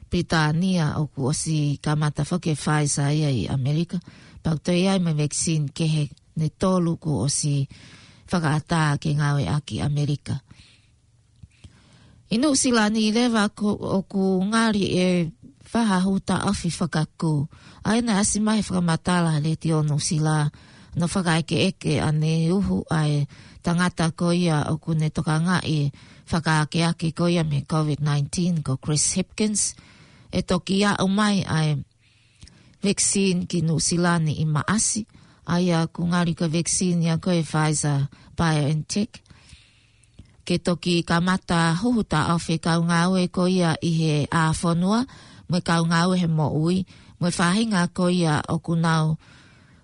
Pilitānia ʻoku ʻosi kamata foki e Pfizer ia ʻi ʻAmelika. Pea ʻoku toe ʻi ai mo e vaccine kehe ʻe tolu kuo ʻosi fakaʻatā ke ngāueʻaki ʻi ʻAmelika. ʻI Nuʻusila ni leva ko, ʻoku ngali ʻe faha hū taʻofi fakakū. ʻA ia naʻe ʻasi mai he fakamatala ʻa e Letiō Nuʻusila, ʻo fakaʻekeʻeke ʻa e uhu ʻa e tangata ko ia ʻoku ne tokangaʻi e fakaakeake ko ia mei he COVID nineteen ko Chris Hipkins, ʻe toki aʻu mai ʻa e vaccine ki Nuʻusila ni ʻi Maʻasi, ʻa ia ʻoku ngali ko e vaccine ia ko e Pfizer BioNTech, ke toki kamata huhu taʻofi e kau ngāue ko ia ʻi he ʻā fonua, mo e kau ngāue he moʻui, mo e faʻahinga ko ia ʻoku nau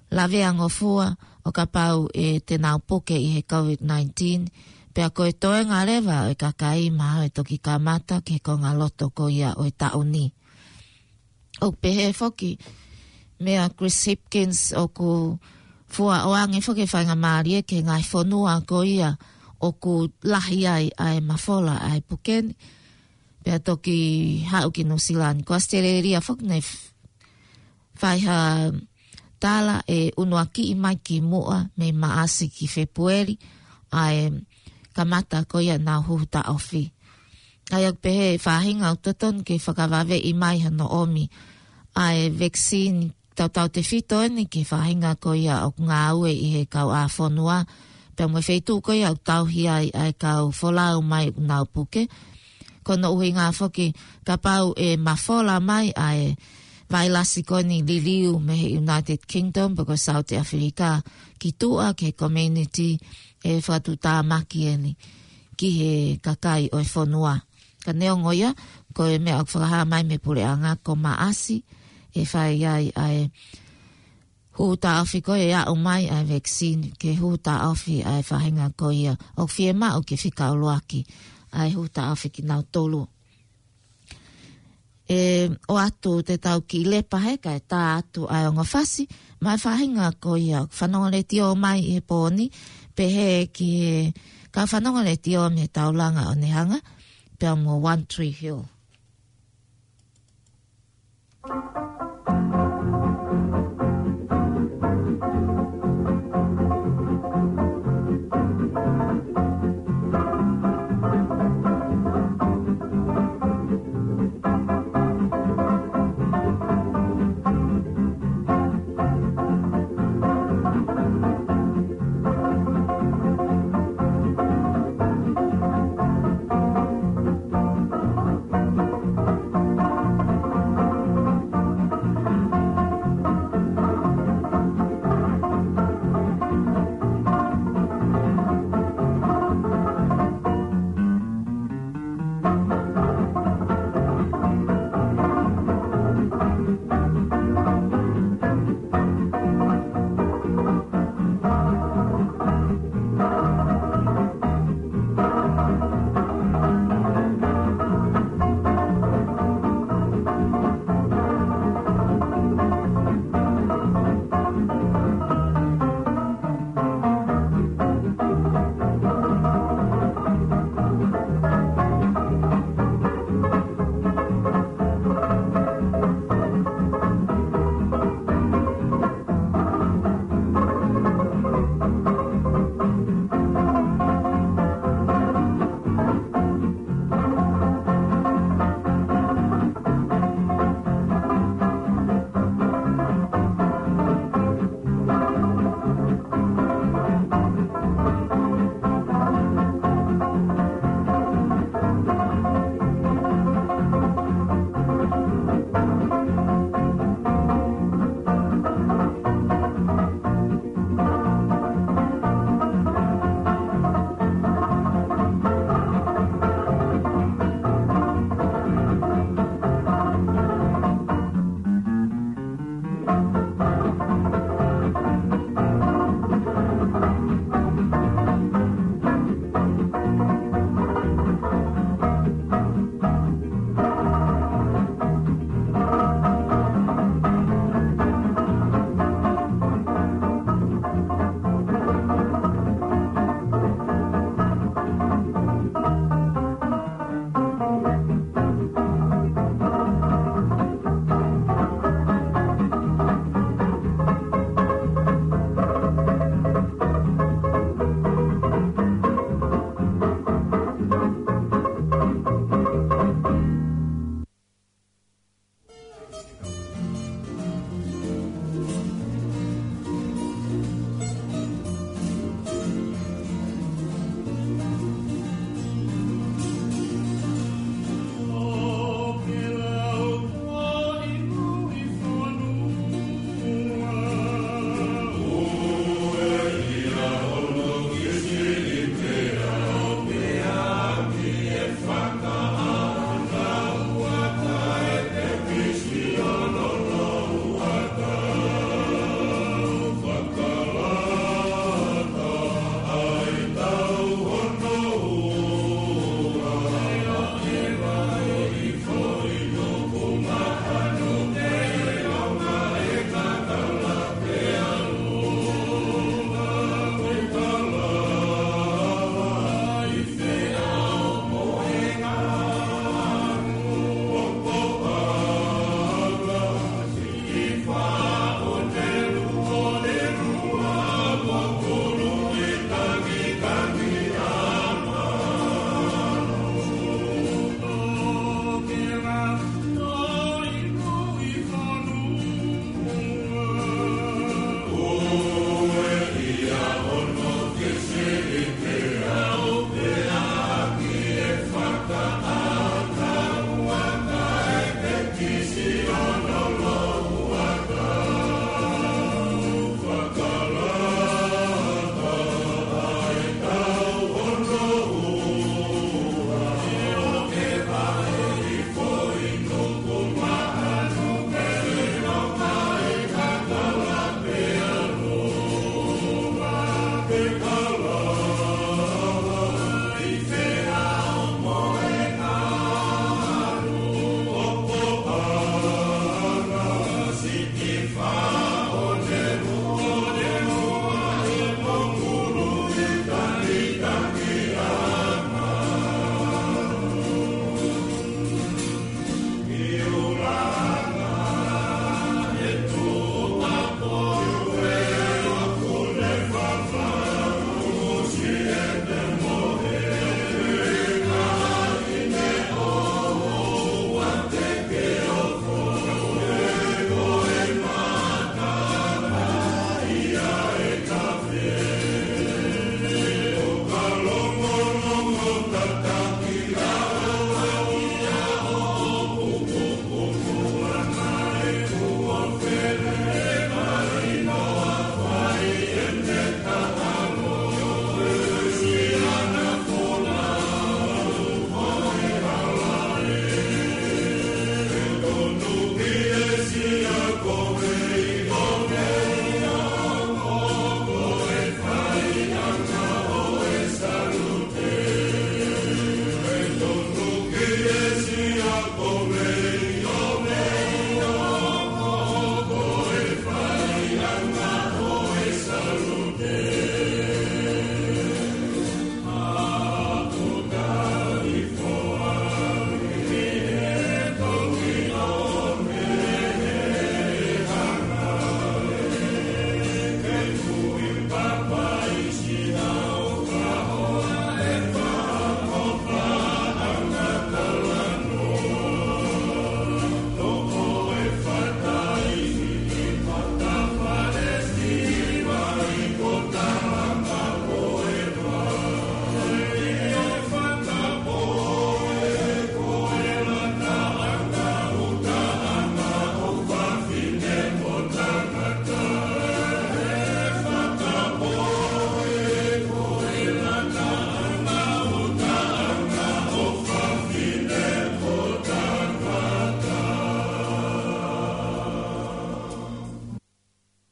lavea ngofua ʻo kapau ʻe te nau puke ʻi he COVID nineteen, pea ko e toenga leva ʻo e kakai mahalo ʻe toki kamata ki he konga loto ko ia ʻo e taʻu ni. ʻOku pehē foki meia Chris Hipkins ʻoku fua ʻoange foki e faingamālie ki he ngaahi fonua ko ia ʻoku lahi ai ʻa e mafola ʻa e puke ni, pea toki haʻu ki Nuʻusila ni. Ko ʻAositelēlia foki naʻe f-, fai ha tala ʻe unuakiʻi mai ki muʻa mei Maʻasi ki Fēpueli ʻa e kamata ko ia ʻenau huhu taʻofi. ʻA ia ʻoku pehē ʻe he faʻahinga ʻoku totonu ke fakavaveʻi mai hono ʻomi ʻa e vaccine tautautefito eni ki he faʻahinga ko ia ʻoku ngāue ʻi he kau ʻā fonua, pea mo e feituʻu ko ia ʻoku tauhi ai ʻa e kau folau mai ʻoku nau puke. Ko hono ʻuhinga foki, kapau ʻe mafola mai ʻa e vailasi ko eni liliu mei he United Kingdom pe ko South Africa ki tuʻa ki he community, ʻe fakatuʻutāmaki eni ki he kakai ʻo e fonua. Ka neongo ia, ko e meʻa ʻoku fakahā mai mei he puleʻanga ko Maʻasi ʻe fai ai ʻa e huhu taʻofi ko ia ʻe aʻu mai ʻa e vaccine ke huhu taʻofi ʻa e faʻahinga ko ia ʻoku fiemaʻu ke fika ʻuluaki ʻa e huhu taʻofi kinautolu. ʻE ʻoatu te tau kiʻi lepa he kae tā atu ʻa e ongo fasi, mo e faʻahinga ko ia ʻoku fanongo letiō mai ʻi he pō ni, pehē ki he kau fanongo letiō mei he taulanga ʻo Nehanga, pea mo One Tree Hill.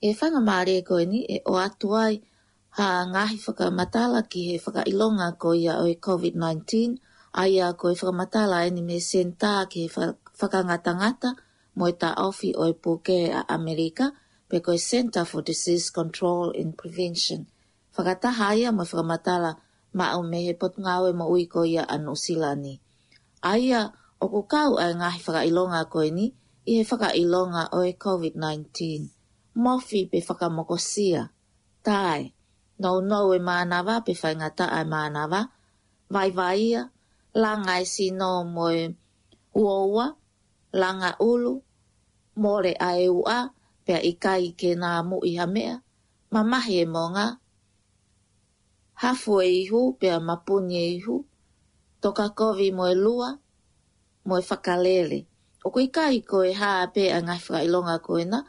ʻE faingamālie ko eni ʻe ʻoatu ai ha ngaahi fakamatala ki he fakaʻilonga ko ia ʻo e COVID nineteen, ʻa ia ko e fakamatala eni mei he Senitā ki he Fa-, Fakangatangata mo e Taʻofi ʻo e Puke ʻa ʻAmelika, pe ko e Centre for Disease Control and Prevention. Fakataha ia mo e fakamatala maʻu mei he Potungāue Moʻui ko ia ʻa Nuʻusila ni. ʻA ia ʻoku kau ʻa e ngaahi fakaʻilonga ko eni ʻi he fakaʻilonga ʻo e COVID nineteen. Mofi pe fakamokosia, tae, nounou e mānava pe faingataʻa e mānava, vaivaia, langa e sino mo e uoua, langa ʻulu, mole ʻa e uʻa, pea ʻikai ke nāmuʻi ha meʻa, mamahi e monga, hafu e ihu, pea mapuni e ihu, toka kovi mo e lua, mo e fakalele. ʻOku ʻikai ko e hā pē ʻa e ngaahi fakaʻilonga ko ena,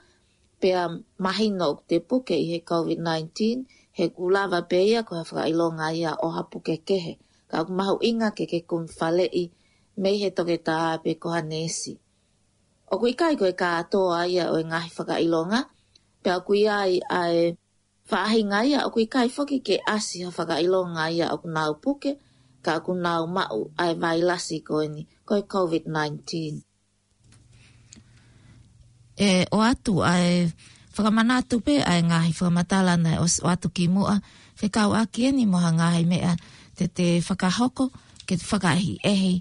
pea mahino ʻoku te puke ʻi he COVID nineteen, he ʻoku lava pē ia ko ha fakaʻilonga ia ʻo ha puke kehe. Ka ʻoku mahuʻinga ke ke kumi faleʻi mei he toketā pe ko ha neesi. ʻOku ʻikai ko e kātoa ia ʻo e ngaahi fakaʻilonga, pea ʻoku ʻi ai ʻa e faʻahinga ia ʻoku ʻikai foki ke ʻasi ha fakaʻilonga ia ʻoku nau puke, ka ʻoku nau maʻu ʻa e vailasi ko eni, ko e COVID nineteen. ʻE ʻoatu ʻa e fakamanatu pē ʻa e ngaahi fakamatala naʻe ʻos-, ʻoatu ki muʻa, fekauʻaki eni mo ha ngaahi meʻa te te fakahoko, ke te fakaʻehiʻehi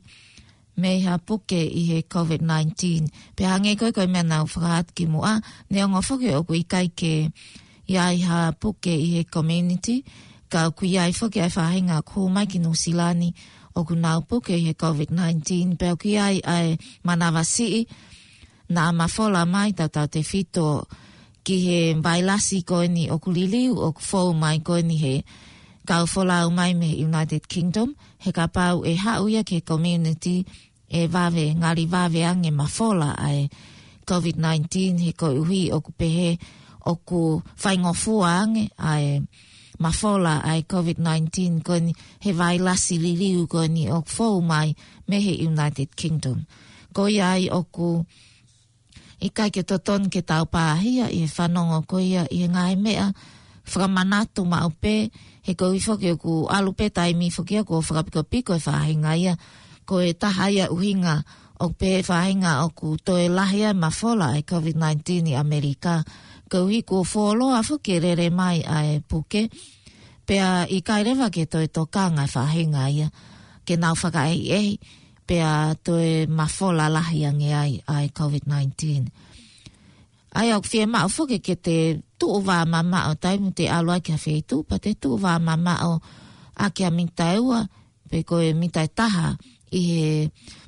mei ha puke ʻi he COVID nineteen. Pea hangē ko e, ko e meʻa naʻa ku fakahā atu ki muʻa, neongo foki ʻoku ʻikai ke ʻi ai ha puke ʻi he community, ka ʻoku ʻi ai foki ʻa e faʻahinga ʻoku hū mai ki Nuʻusila ni ʻoku nau puke ʻi he COVID nineteen, pea ʻoku ʻi ai ʻa e manavasiʻi naʻa mafola mai tautautefito ki he vailasi ko eni ʻoku liliu, ʻoku fou mai ko eni he kau folau mai mei he United Kingdom, he kapau ʻe haʻu ia ki he community ʻe vave, ngali vave ange mafola ʻa e COVID nineteen, he koeʻuhi ʻoku pehē ʻoku faingofua ange ʻa e mafola ʻa e COVID nineteen ko eni he vailasi liliu ko eni ʻoku fou mai mei he United Kingdom. Ko ia ai ʻoku ʻikai ke totonu ke tau pāhia ʻi he fanongo ko ia ʻi he ngaahi meʻa fakamanatu maʻu pē, he koeʻuhi foki ʻoku ʻalu pē taimi foki ia kuo fakapikopiko e faʻahinga ia. Ko e taha ia ʻuhinga ʻoku pehē faʻahinga ʻoku toe lahi ʻa e mafola ʻa e COVID nineteen ʻi ʻAmelika, koeʻuhi kuo fuoloa foki e lele mai ʻa e puke, pea ʻikai leva ke toe tokanga e faʻahinga ia ke nau fakaʻehiʻehi, pea toe mafola lahi ange ai ʻa e COVID nineteen. ʻA ia ʻoku fiemaʻu foki ke te tuʻu vāmamaʻo taimi te ʻalu ai ki ha feituʻu, pea te tuʻu vāmamaʻo ʻaki ha mita ʻe ua, pe ko e mita ʻe taha ʻi he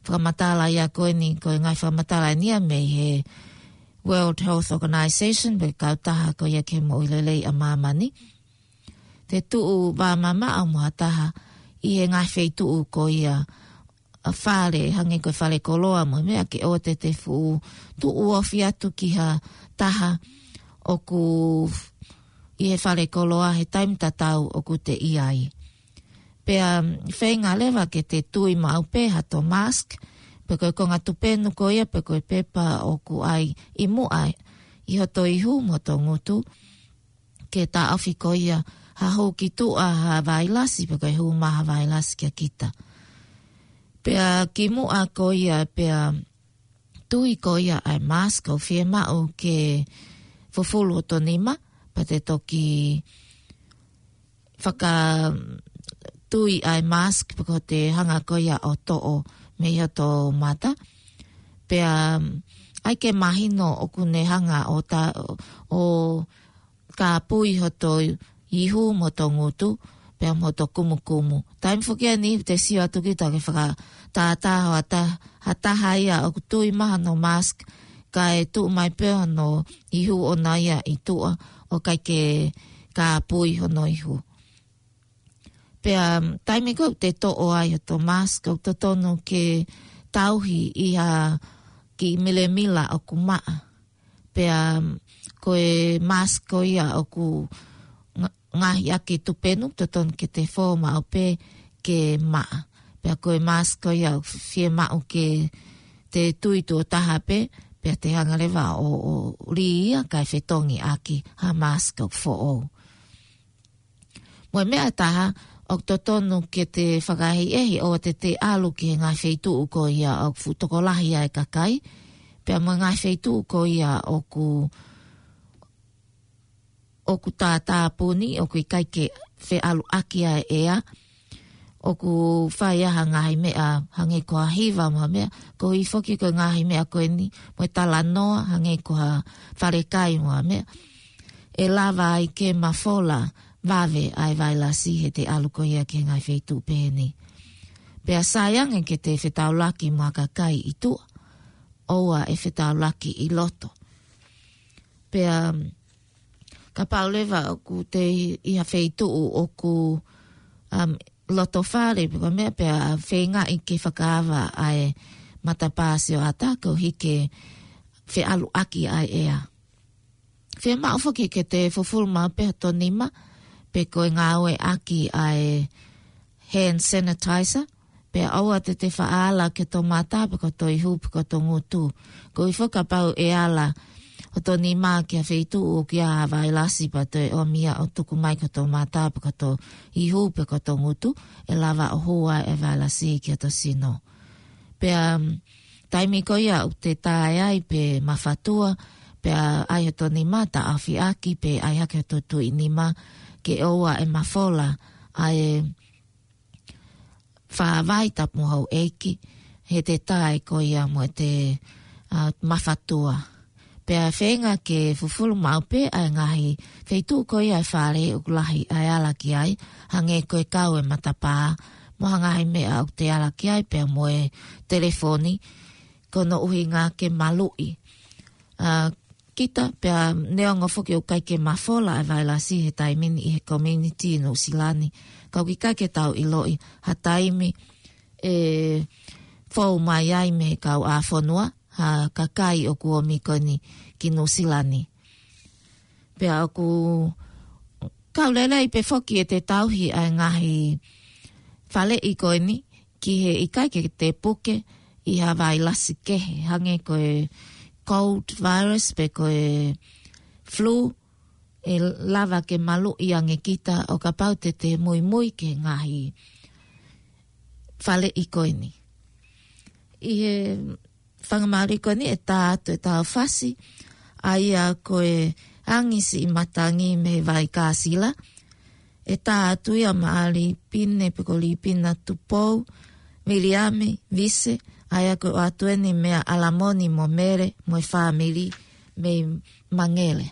fakamatala ia ko eni, ko e ngaahi fakamatala eni ia mei he World Health Organization, pe kautaha ko ia ki he moʻui lelei ʻa māmani. Te tuʻu vāmamaʻo mo ha taha ʻi he ngaahi feituʻu ko ia ʻa fale, hangē ko e fale koloa mo e meʻa, ke ʻoua te te fuʻu tuʻu ofi atu ki ha taha ʻoku ʻi he fale koloa he taimi tatau ʻoku te ʻi ai. Pea feinga leva ke te tui maʻu pē hato mask, pe ko e konga tupenu ko ia, pe ko e pepa ʻoku ʻai ʻi muʻa ʻi hoto ihu mo hoto ngutu, ke taʻofi ko ia ha hū ki tuʻa ha vailasi, pe ko e hū mai ha vailasi kia kita. Pea ki muʻa ko ia, pea tui ko ia ʻa e mask, ʻoku fiemaʻu ke fufulu hoto nima, pea te toki fakatui ʻa e mask, pe ko te hanga ko ia ʻo toʻo mei hoto mata. Pea ʻai ke mahino ʻoku ne hanga ʻo ta-, ʻo kāpui hoto ihu mo hoto ngutu, pea mo hoto kumukumu. Taimi foki eni te sio atu kita ke fakatātā ha ta-, ha taha ia ʻoku tui mai hono mask, kae tuʻu mai pē hono ihu ʻona ia ʻi tuʻa, ʻo ʻikai ke kāpui hono ihu. Pea taimi ko ē te toʻo ai hoto mask, ʻoku totonu ke tauhi ʻi ha kiʻi milemila ʻoku maʻa. Pea ko e mask ko ia ʻoku nga-, ngaohi ʻaki e tupenu, totonu ke te fō maʻu pē ke maʻa. Pea ko e mask ko ia ʻoku fiemaʻu ke te tui tuʻo taha pē, pea te hanga leva ʻo, ʻo lī ia kae fetongi ʻaki ha mask ʻoku foʻou. Mo e meʻa ʻe taha, ʻoku totonu ke te fakaʻehiʻehi ʻoua te te ʻalu ki he ngaahi feituʻu ko ia ʻoku fuʻu tokolahi ai e kakai, pea mo e ngaahi feituʻu ko ia ʻoku, ʻoku tātāpuni, ʻoku ʻikai ke feʻaluʻaki ai e ʻea, ʻoku fai ai ha ngaahi meʻa hangē ko ha hiva mo ha meʻa, koeʻuhi foki ko e ngaahi meʻa ko eni, mo e talanoa hangē ko ha falekai mo ha meʻa, ʻe lava ai ke mafola vave ʻa e vailasi he te ʻalu ko ia ki he ngaahi feituʻu pehē ni. Pea sai ange ke te fetaulaki mo ha kakai ʻi tuʻa, ʻoua ʻe fetaulaki ʻi loto. Pea kapau leva ʻoku te ʻi ha feituʻu ʻoku, um, loto fale pe ko e meʻa, pea feingaʻi ke fakaava ʻa e matapā sioʻata koeʻuhi ke feʻaluʻaki ʻa e ʻea. Fiemaʻu foki ke te fufulu maʻu pē hoto nima, pe ko e ngāueʻaki ʻa e hand sanitizer, pea ʻoua te te faʻa ala ki hoto mata, pe ko hoto ihu, pe ko hoto ngutu. Koeʻuhi foki kapau ʻe ala hoto nima ki ha feituʻu ʻoku ʻi ai ha vailasi pea toe ʻomi ia ʻo tuku mai ki hoto mata, pe ko hoto ihu, pe ko hoto ngutu, ʻe lava ʻo hū ai e vailasi ki hoto sino. Pea, um, taimi ko ia ʻoku te tae ai pe mafatua, pea ʻai hoto nima taʻofi ʻaki, pe ʻai hake hoto tuʻi nima, ke ʻoua ʻe mafola ʻa e fāvai tapu mo houʻeiki, he te tae ko ia mo te, uh, mafatua. Pea feinga ke fufulu maʻu pē ʻa e ngaahi feituʻu ko ia e fale ʻoku lahi ʻa e ala ki ai, hangē ko e kau e matapā, mo ha ngaahi meʻa ʻoku te ala ki ai, pea mo e telefoni, ko hono ʻuhinga ke maluʻi. A, kita pea neongo foki ʻoku ʻikai ke mafola ʻa e vailasi he taimi ni ʻi he community Nuʻusila ni, ka ʻoku ʻikai ke tau ʻiloʻi ha taimi ʻe fou mai ai mei he kauʻāfonua ha kakai ʻoku ʻomi ko eni ki Nuʻusila ni. Pea ʻoku kau lelei pē foki ʻete tauhi ʻa e ngaahi faleʻi ko eni ki he ʻikai ke te puke ʻi ha vailasi kehe, hangē ko e cold virus pe ko e flu, ʻe lava ke maluʻi ange kita ʻo kapau te te muimui ki he ngaahi faleʻi ko eni. ʻI he faingamālie ko eni ʻe tā atu ʻetau fasi, ʻa ia ko e Angisiʻimatangi mei he Vaikasila. ʻE tā atu ia maʻa Lipine pe ko Lipina Tupou, Viliami Vise, ʻa ia ko e ʻoatu eni meia ʻAlamoni mo Mele mo e fāmili mei Mangele.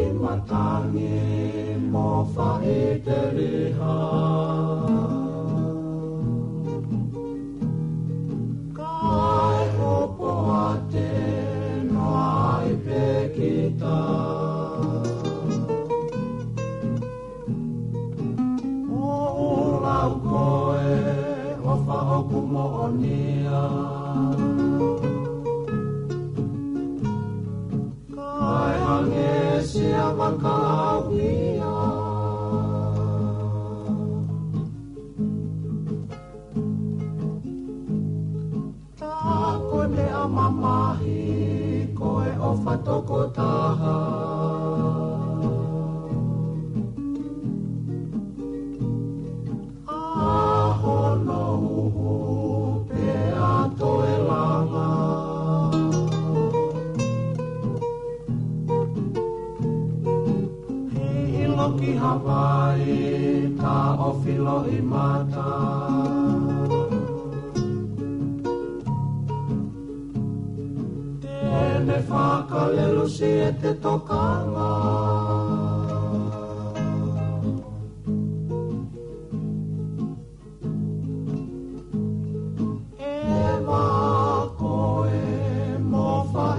Angisiʻimatangi mo Faʻiteliha. Kae hopo ate noa ai pē kita. ʻO lau ko e ʻofa ʻoku moʻonia. Kae hangē sia vakaʻauhia. Tā ko e meʻa mamahi ko e ʻofa tokotaha. ʻA hono uhu pea toe langa. Hiʻilo ki Havaii, taʻofi loʻimata. Te ne fakalelusi ʻete tokanga.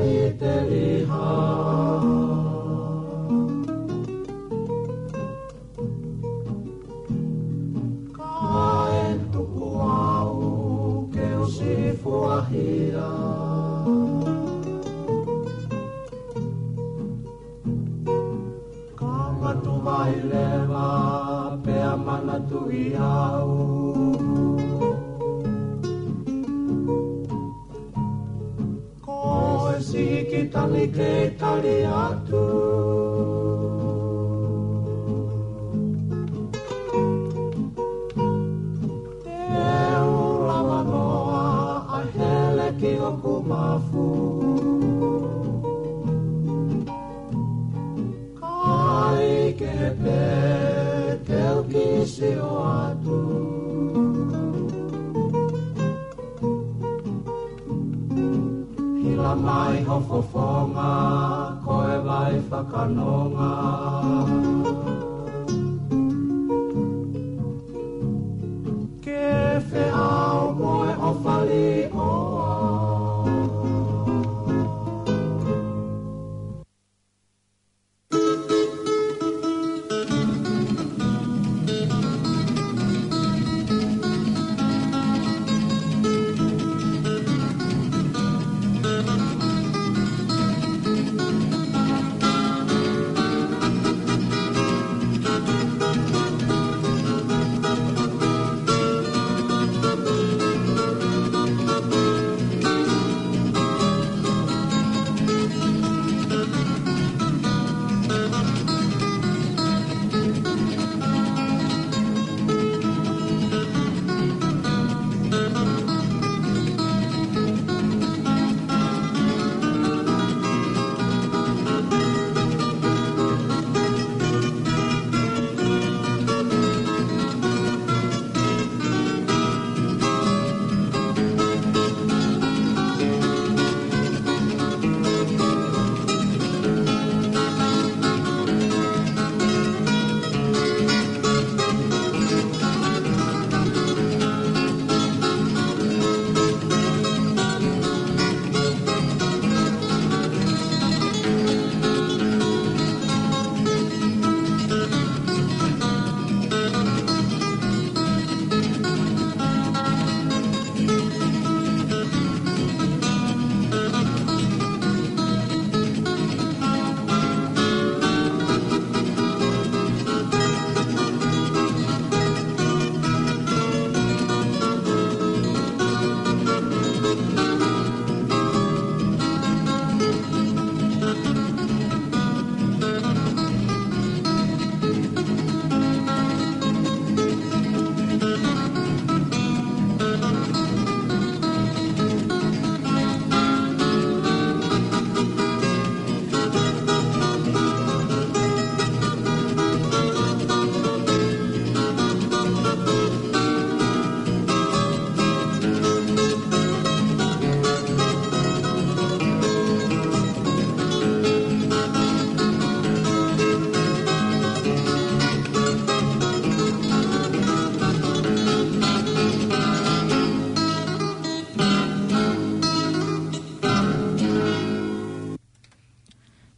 ʻi Teliha. Kae tuku au ke u sifuahia. Ka matu vai leva pea manatuʻi au. Ko e siki tali kei tali atu. Te u lava noa ʻa e hele ki hoku mafu. Ka ʻikai ke pē te u kiʻi sio atu. Hila mai ho fofonga, ko e vai fakanonga. Ke feʻao mo e ʻofa liʻoa.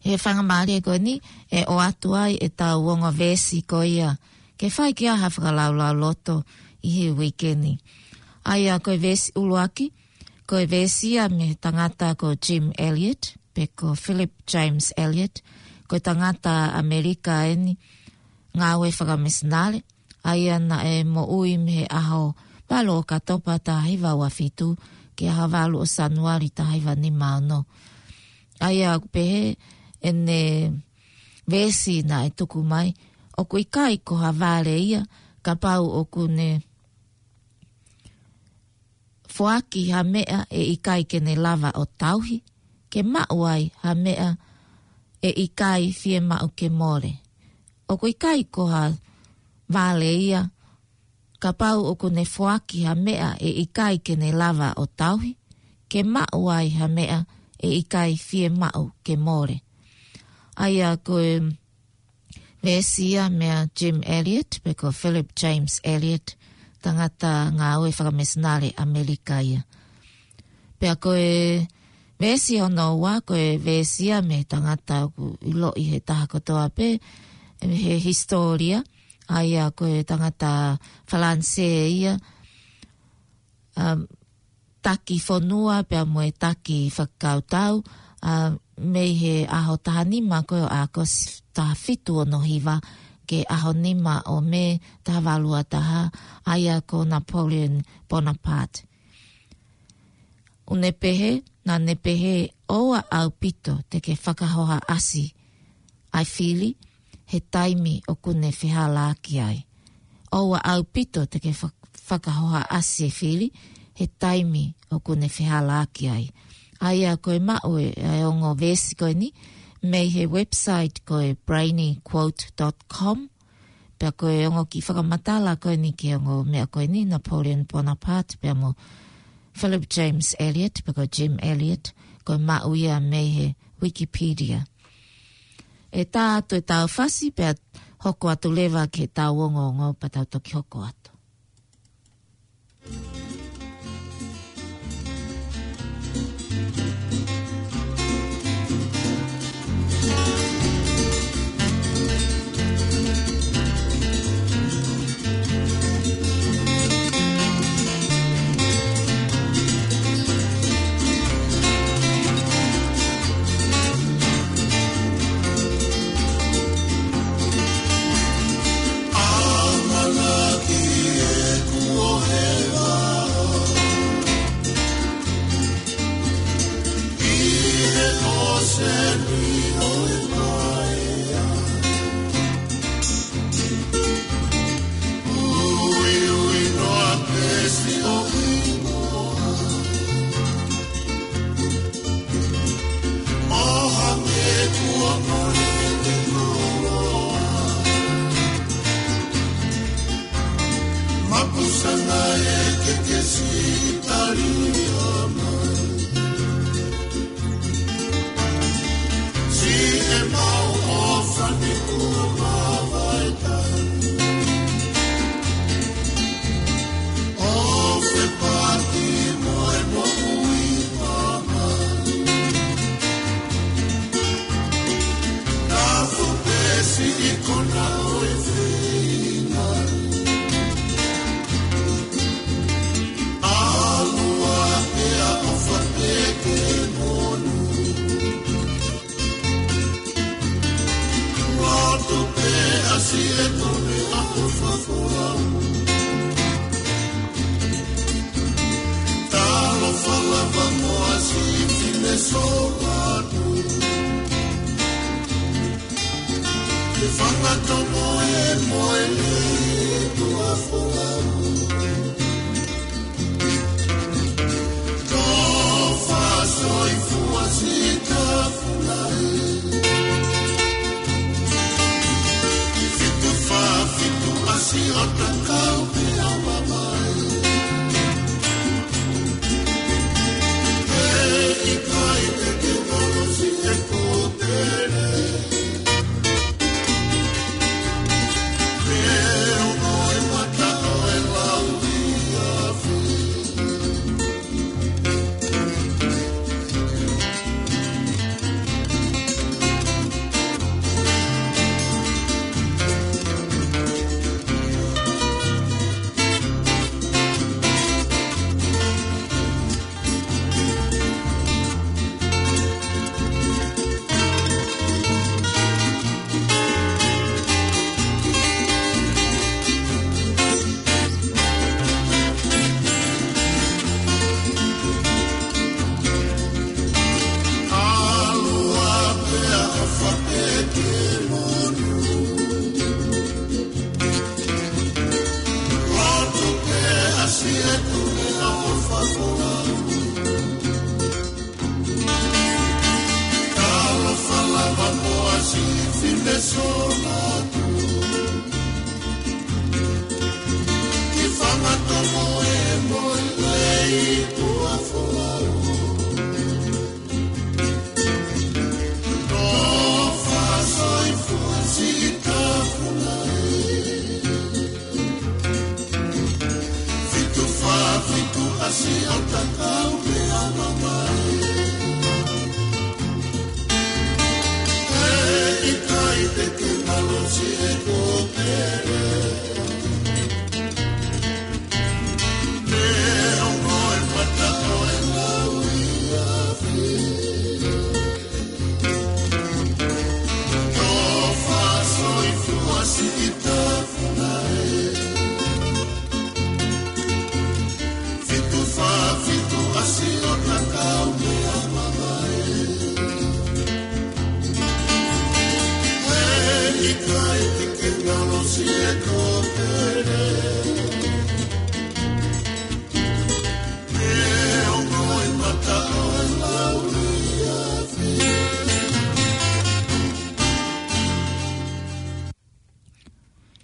He faingamālie ko eni, ʻe ʻoatu ai ʻetau ongo veesi ko ia ke fai ki ai ha fakalaulauloto ʻi he uike ni. ʻA ia ko e veesi ʻuluaki, ko e veesi ia mei he tangata ko Jim Elliot, pe ko Philip James Elliot, ko e tangata ʻAmelika eni, ngāue fakamisinale, ʻa ia naʻe moʻui mei he ʻaho valu ʻo ʻOkatopa taha hiva ua fitu, ki he ʻaho valu ʻo Sānuali taha hiva nima ono. ʻA ia ʻoku pehē ʻene veesi naʻe tuku mai, ʻoku ʻikai ko ha vale ia, kapau ʻoku ne foaki ha meʻa ʻe ʻikai ke ne lava ʻo tauhi, ke maʻu ai ha meʻa ʻe ʻikai fiemaʻu ke mole. ʻOku ʻikai ko ha vale ia, kapau ʻoku ne foaki ha meʻa ʻe ʻikai ke ne lava ʻo tauhi, ke maʻu ai ha meʻa ʻe ʻikai fiemaʻu ke mole. ʻA ia ko e veesi ia meia Jim Elliot, pe ko Philip James Elliot, tangata ngāue fakamisinale ʻAmelika ia. Pea ko e veesi hono ua ko e veesi ia mei he tangata ʻoku ʻiloʻi ʻe he taha kotoa pē, ʻe, mei he hisitōlia, ʻa ia ko e tangata Falanisē ia, um, taki fonua pea mo e taki fakakautau, ʻa, mei he ʻaho taha nima ko ē ʻo ʻAokosi taha fitu ono hiva ki he ʻaho nima ʻo Mē taha valu ua taha, ʻa ia ko Napoleon Bonaparte. ʻOku ne pehē, naʻa ne pehē, ʻoua ʻaupito te ke fakahohaʻasi ʻa e fili he taimi ʻoku ne fehālaaki ai. ʻOua ʻaupito te ke fa-, fakahohaʻasi e fili he taimi ʻoku ne fehālaaki ai. ʻA ia ko e maʻu e, e ongo veesi ko eni mei he website ko e brainy quote dot com. Pea ko e ongo kiʻi fakamatala ko eni ki he ongo meʻa ko eni, Napoleon Bonaparte pea mo Philip James Elliot, pe ko Jim Elliot, ko e maʻu ia mei he Wikipedia. ʻE tā atu ʻetau fasi pea hoko atu leva ki heʻetau ongoongo pea tau toki hoko atu.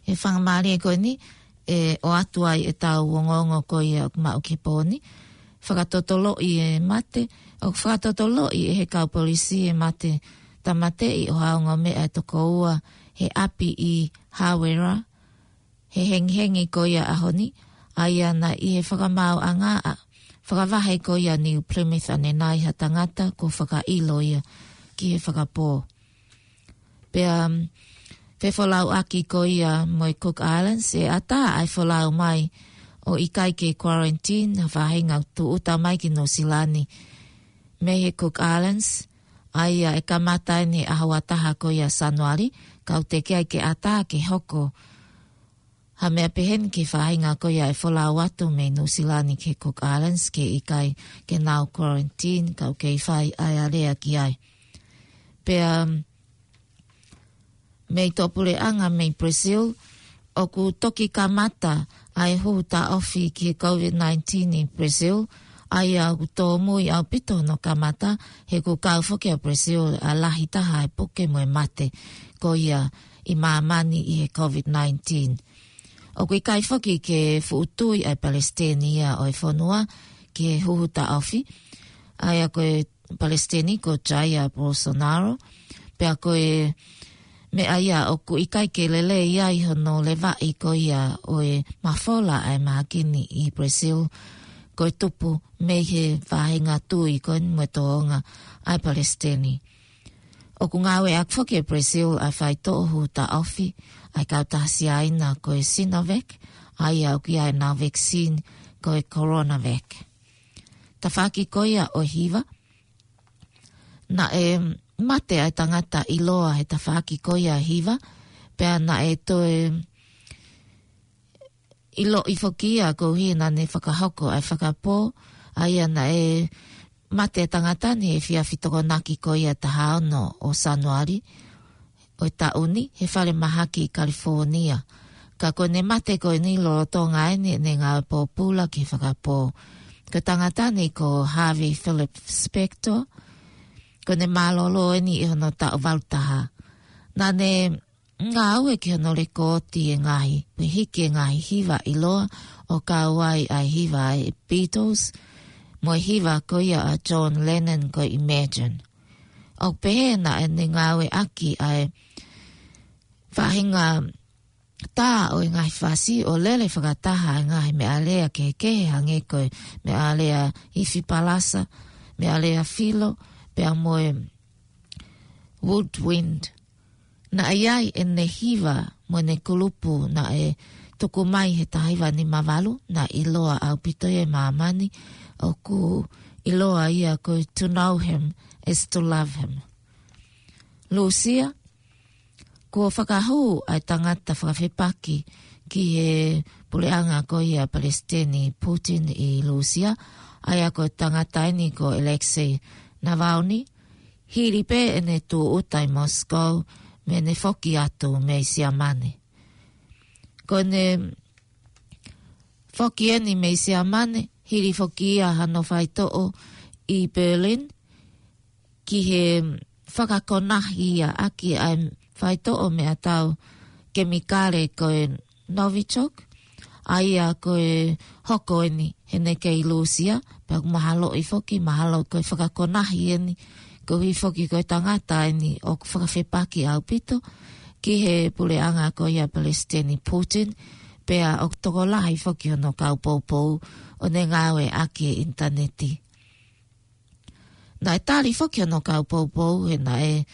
He faingamālie ko eni, ʻe ʻoatu ai ʻetau ongoongo ko ia ʻoku maʻu ki he pō ni. Fakatotoloʻi e mate, ʻoku fakatotoloʻi ʻe he kau polisi e mate tāmateʻi ʻo ha ongo meʻa ʻe toko ua he ʻapi ʻi Hawera, he hengihengi ko ia ʻaho ni, ʻa ia naʻe ʻi he fakamaauʻanga ʻa, fakavahe ko ia New Plymouth ʻanenai ha tangata kuo fakaʻilo ia ki he fakapō. Pea, um, fefolauʻaki ko ia mo e Cook Islands, ʻe ʻatā ʻa e folau mai ʻo ʻikai ke quarantine ha faʻahinga tūʻuta mai ki Nuʻusila ni mei he Cook Islands, ʻa ia ʻe kamata eni ʻaho ua taha ko ia Sānuali, kau teʻeki ai ke ʻatā ke hoko ha meʻa pehē ni ki he faʻahinga ko ia ʻe folau atu mei Nuʻusila ni ki he Cook Islands, ke ʻikai ke nau quarantine, kau kei fai ʻa e alea ki ai. Pea, um, mei he tō puleʻanga mei Brazil, ʻoku toki kamata ʻa e huhu taʻofi ki he COVID nineteen ʻi Brazil, ʻa ia ʻoku tōmui ʻaupito hono kamata, he kuo kau foki ʻa Brazil ʻa e lahi taha e puke mo e mate ko ia ʻi māmani ʻi he COVID nineteen. ʻOku ʻikai foki ke fuʻu tui ʻa e palesiteni ia ʻo e fonua ki he huhu taʻofi, ʻa ia ko e palesiteni ko Jair Bolsonaro, pea ko e meʻa ia ʻoku ʻikai ke lelei ai hono levaʻi ko ia ʻo e mafola ʻa e mahaki ni ʻi Brazil, ko e tupu mei he faʻahinga tui ko eni mo e tōʻonga ʻa e palesiteni. ʻOku ngāueʻaki foki ʻe Brazil ʻa e faitoʻo huhu taʻofi ʻa e kautaha Siaina ko e Sinovac, ʻa ia ʻoku ʻi ai ʻenau vaccine ko e Coronavac. Tafaʻaki ko ia ʻo e hiva, naʻe mate ʻa e tangata ʻiloa he tafaʻaki ko ia hiva, pea naʻe toe ʻiloʻi foki ia koeʻuhi naʻa ne fakahoko ʻa e fakapō, ʻa ia naʻe mate ʻa e tangata ni he efiafi Tokonaki ko ia taha ono ʻo Sānuali ʻo e taʻu ni, he falemahaki ʻi California. Ka ko ʻene mate ko eni lolotonga eni ʻene ngāue pōpula ki he fakapō. Ko e tangata ni ko Harvey Philip Spector, ko ʻene mālōlō eni ʻi hono taʻu valu taha. Naʻa ne ngāue ki hono lekooti e ngaahi, pe hiki e ngaahi hiva ʻiloa ʻo kau ai ʻa e hiva ʻa e Beatles, mo e hiva ko ia ʻa John Lennon ko e Imagine. ʻOku pehē naʻa ne ngāueʻaki ʻa e faʻahinga tā ʻo e ngaahi fasi ʻo lele fakataha e ngaahi meʻalea kehekehe hangē ko e meʻalea ifi palasa, meʻalea filo, pea mo e woodwind. Naʻe ʻi ai ʻene hiva mo ʻene kulupu naʻe tuku mai he taha hiva nima valu, naʻe ʻiloa ʻaupito ia ʻi māmani, ʻoku ʻiloa ia ko e To Know Him is to Love Him. Lūsia, kuo fakahū ʻa e tangata fakafepaki ki he puleʻanga ko ia Palesiteni Putin ʻi Lūsia, ʻa ia ko e tangata eni ko Alexei Navalny, hili pē ʻene tūʻuta ʻi Moscow mei heʻene foki atu mei Siamane. Ko ʻene foki eni mei Siamane, hili foki ia hano faitoʻo ʻi Berlin, ki he fakakonahi ia ʻaki ʻa e faitoʻo meʻatau kemikale ko e Novichok, ʻa ia ko e hoko eni heʻene kei Lūsia, pea ʻoku mahaloʻi foki, mahalo ko e fakakonahi eni, koeʻuhi foki ko e tangata eni ʻoku fakafepaki ʻaupito ki he puleʻanga ko ia Palesiteni Putin, pea ʻoku tokolahi foki hono kau poupou ʻo ne ngāueʻaki e ʻinitaneti. Naʻe tali foki hono kau poupou he naʻe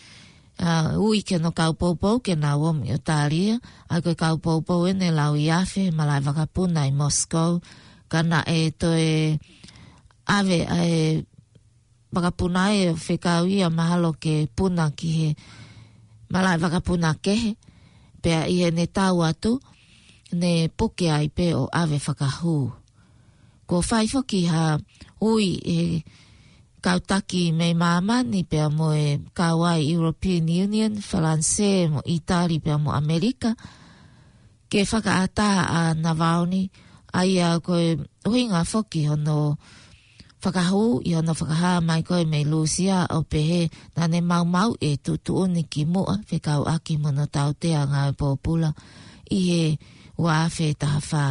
ʻa, ui ki hono kau poupou ke nau ō mei ʻOtālia, ʻa ia ko e kau poupou ʻeni ʻe lauiafe, malaʻe vakapuna ʻi Moscow, ka naʻe toe ʻave ʻa e vakapuna ʻe fekau ia mahalo ke puna ki he malaʻe vakapuna kehe, pea ʻi heʻene tau atu, ne puke ai pē ʻo ʻave fakahū. Kuo fai foki ha ui ʻe he kau taki mei māmani pea mo e kau ʻa e European Union, Falanisē mo ʻItali pea mo ʻAmelika, ke fakaʻatā ʻa Navalny, ʻa ia ko e ʻuhinga foki hono fakahū ʻi hono fakahā mai ko ē mei Lūsia ʻo pehē naʻa ne maumauʻi e tuʻutuʻuni ki muʻa fekauʻaki mo hono tautea ngāue pōpula ʻi he ua afe taha fā.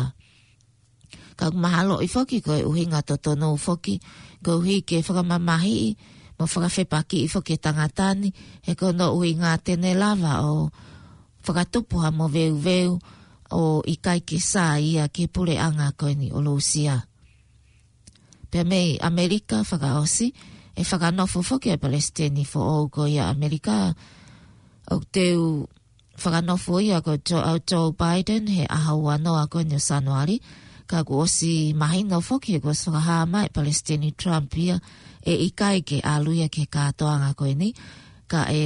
Ka ʻoku mahaloʻi foki ko e ʻuhinga totonu foki, koeʻuhi ke fakamamahiʻi mo fakafepakiʻi foki e tangata ni, he ko hono ʻuhinga te ne lava ʻo fakatupu ha moveuveu ʻo ʻikai ke sai ia ki he puleʻanga ko eni ʻo Lūsia. Pea mei ʻAmelika fakaʻosi, ʻe fakanofo foki ʻa e palesiteni foʻou ko ia ʻAmelika, ʻoku teu fakanofo ia ko Joe, ʻa Joe Biden he ʻaho ua noa ko eni ʻo Sānuali, ka kuo ʻosi mahino foki he kuo ʻosi fakahā mai ʻe Palesiteni Trump ia ʻe ʻikai ke ʻalu ia ki he kātoanga ko eni, ka ʻe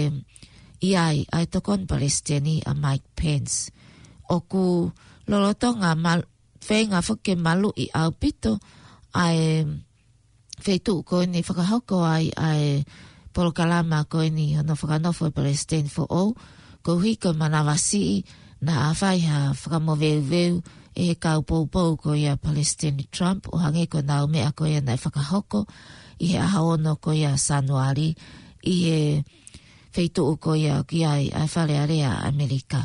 ʻi ai ʻa e tokoni palesiteni ʻa Mike Pence. ʻOku lolotonga mal-, feinga foki ke maluʻi ʻaupito ʻa e feituʻu ko eni fakahoko ai ʻa e polokalama ko eni hono fakanofo ʻe palesiteni foʻou, koeʻuhi ko e manavasiʻi naʻa fai ha fakamoveuveu ʻe he kau poupou ko ia ʻa Palesiteni Trump, ʻo hangē ko ʻenau meʻa ko ia naʻe fakahoko ʻi he ʻaho ono ko ia Sānuali ʻi he feituʻu ko ia ʻoku ʻi ai ʻa e Fale Alea ʻAmelika.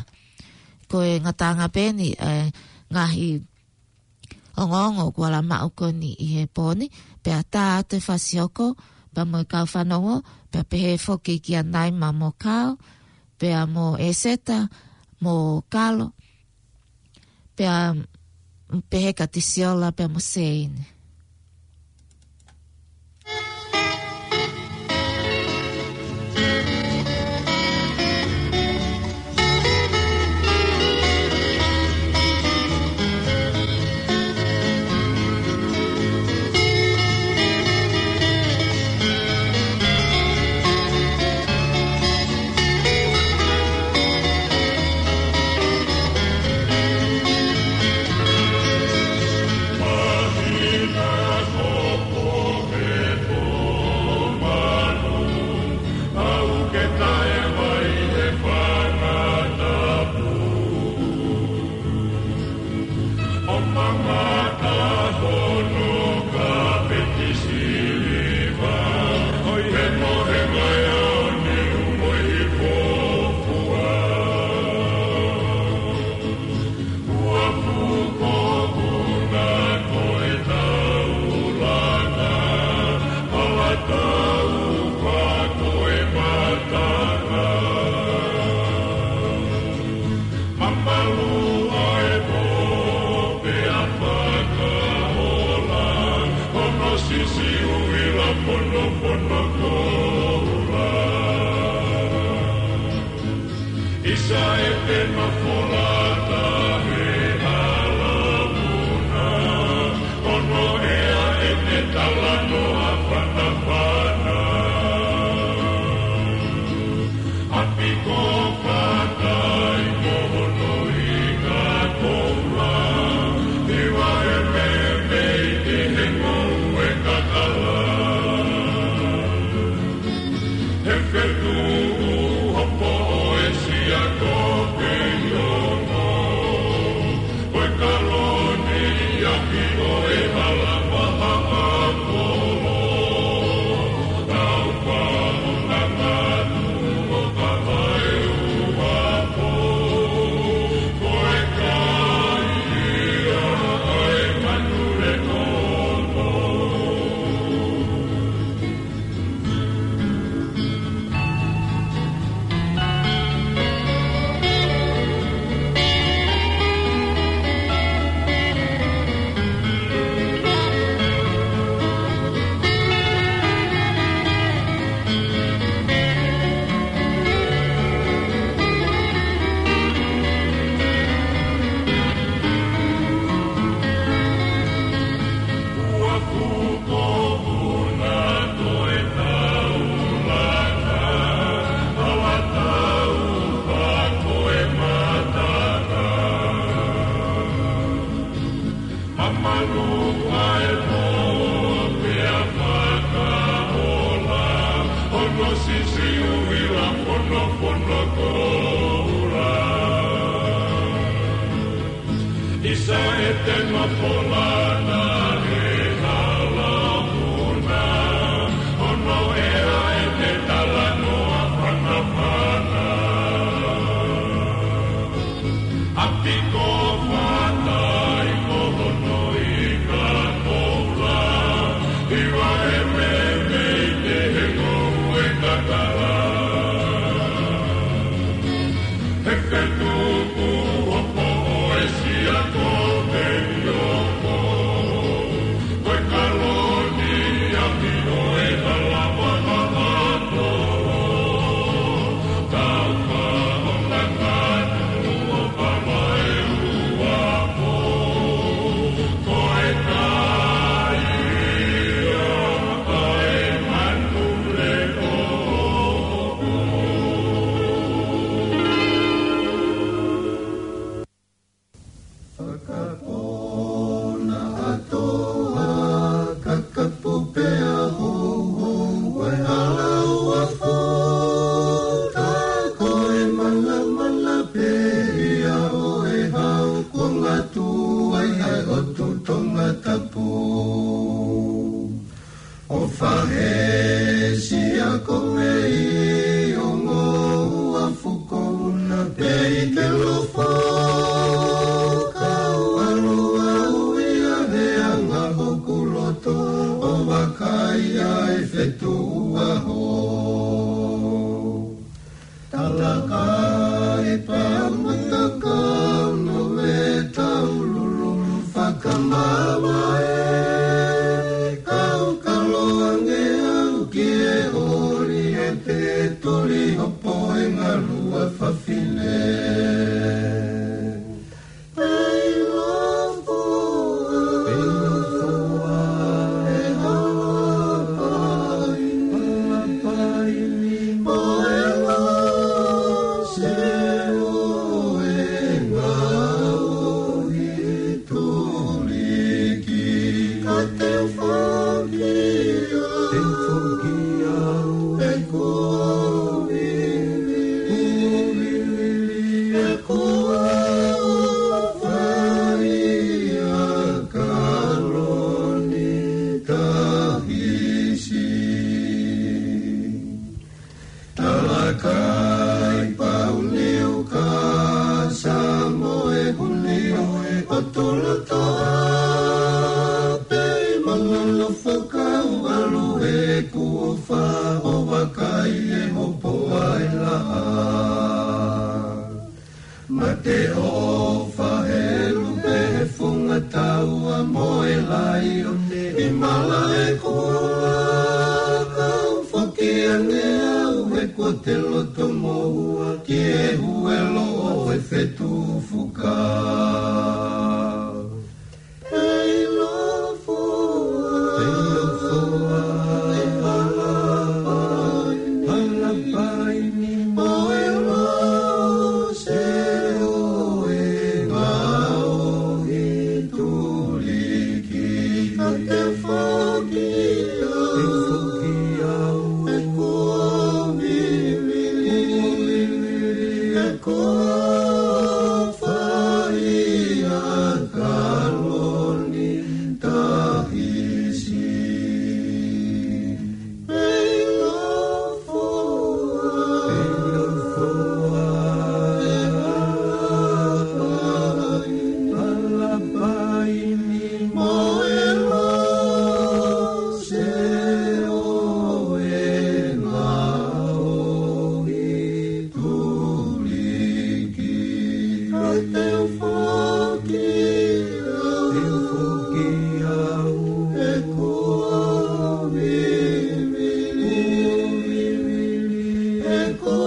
Ko e ngataʻanga pē eni ʻa e ngaahi ongoongo kuo ala maʻu ko eni ʻi he pō ni, pea tā atu e fasi hoko, pea mo e kau fanongo, pea pehē foki kia Naima mo Kao, pea mo ʻEseta, mo Kalo, pea pehē kia Tisiola, pea mo Seini. Nofo no koula. ʻIsa ʻete nofo lana he hala muna. Hono ʻea ʻete talanoa fanafana. ʻApiko fatai ko hono ika koula. Hiva e meimei te he ngoue kakala. He fetuku o poʻo e sia ko te ioko. Ko e kaloni a mi o e hala pakapato. Tau pa o ngangatu o pama e ua po. Ko e kai ia, kai manu le o. Fakapona ʻatoa, kakapu pea houhou, ko e hala ua fota, ko e malamala pē ia ʻo e hau, ko ngatu ai ʻa e ʻotu Tongatapu. ʻO fahe sia ko mei ongo ua fuko una pei ke lofo. Kau alo au ia he anga hoku loto ʻo vakai ai fetuʻu ʻaho. Talakai pau matakau no me tau lululu fakamamae. Kau kalo ange au ki he oli ʻo te tuli hopo e ngalua fafine. Pei lofoa, pei lofoa, e halapai, halapai ni mo e lose ʻo e ngaohi tuliki. Ka te u foki au, te u foki au, e ko vivili, e ko fai a kaloni tahisi. Talakai pau niu ka sa mo e huni ʻo e ʻotu loto a pei malolo fakau alu e kuo fa ʻo vakai e hopo ai laʻā. Mate ʻofa he lupe he funga taua mo e laione ʻi malaʻe kuo kau foki ange au he kuo te loto moua ki he huelo ʻo e fetuʻu fuka. Pei lofoa, pei lofoa, e halapai, halapai ni mo e lose ʻo e ngaohi tuliki. Ka te u foki au, te u foki au, e ko vivili, e ko vivili, e ko fai a kaloni tahisi. Pei lofoa, pei lofoa, e halapai, halapai ni mo e lose ʻo e ngaohi tuliki. Ka te u foki au, te u foki au, e ko vivili, e ko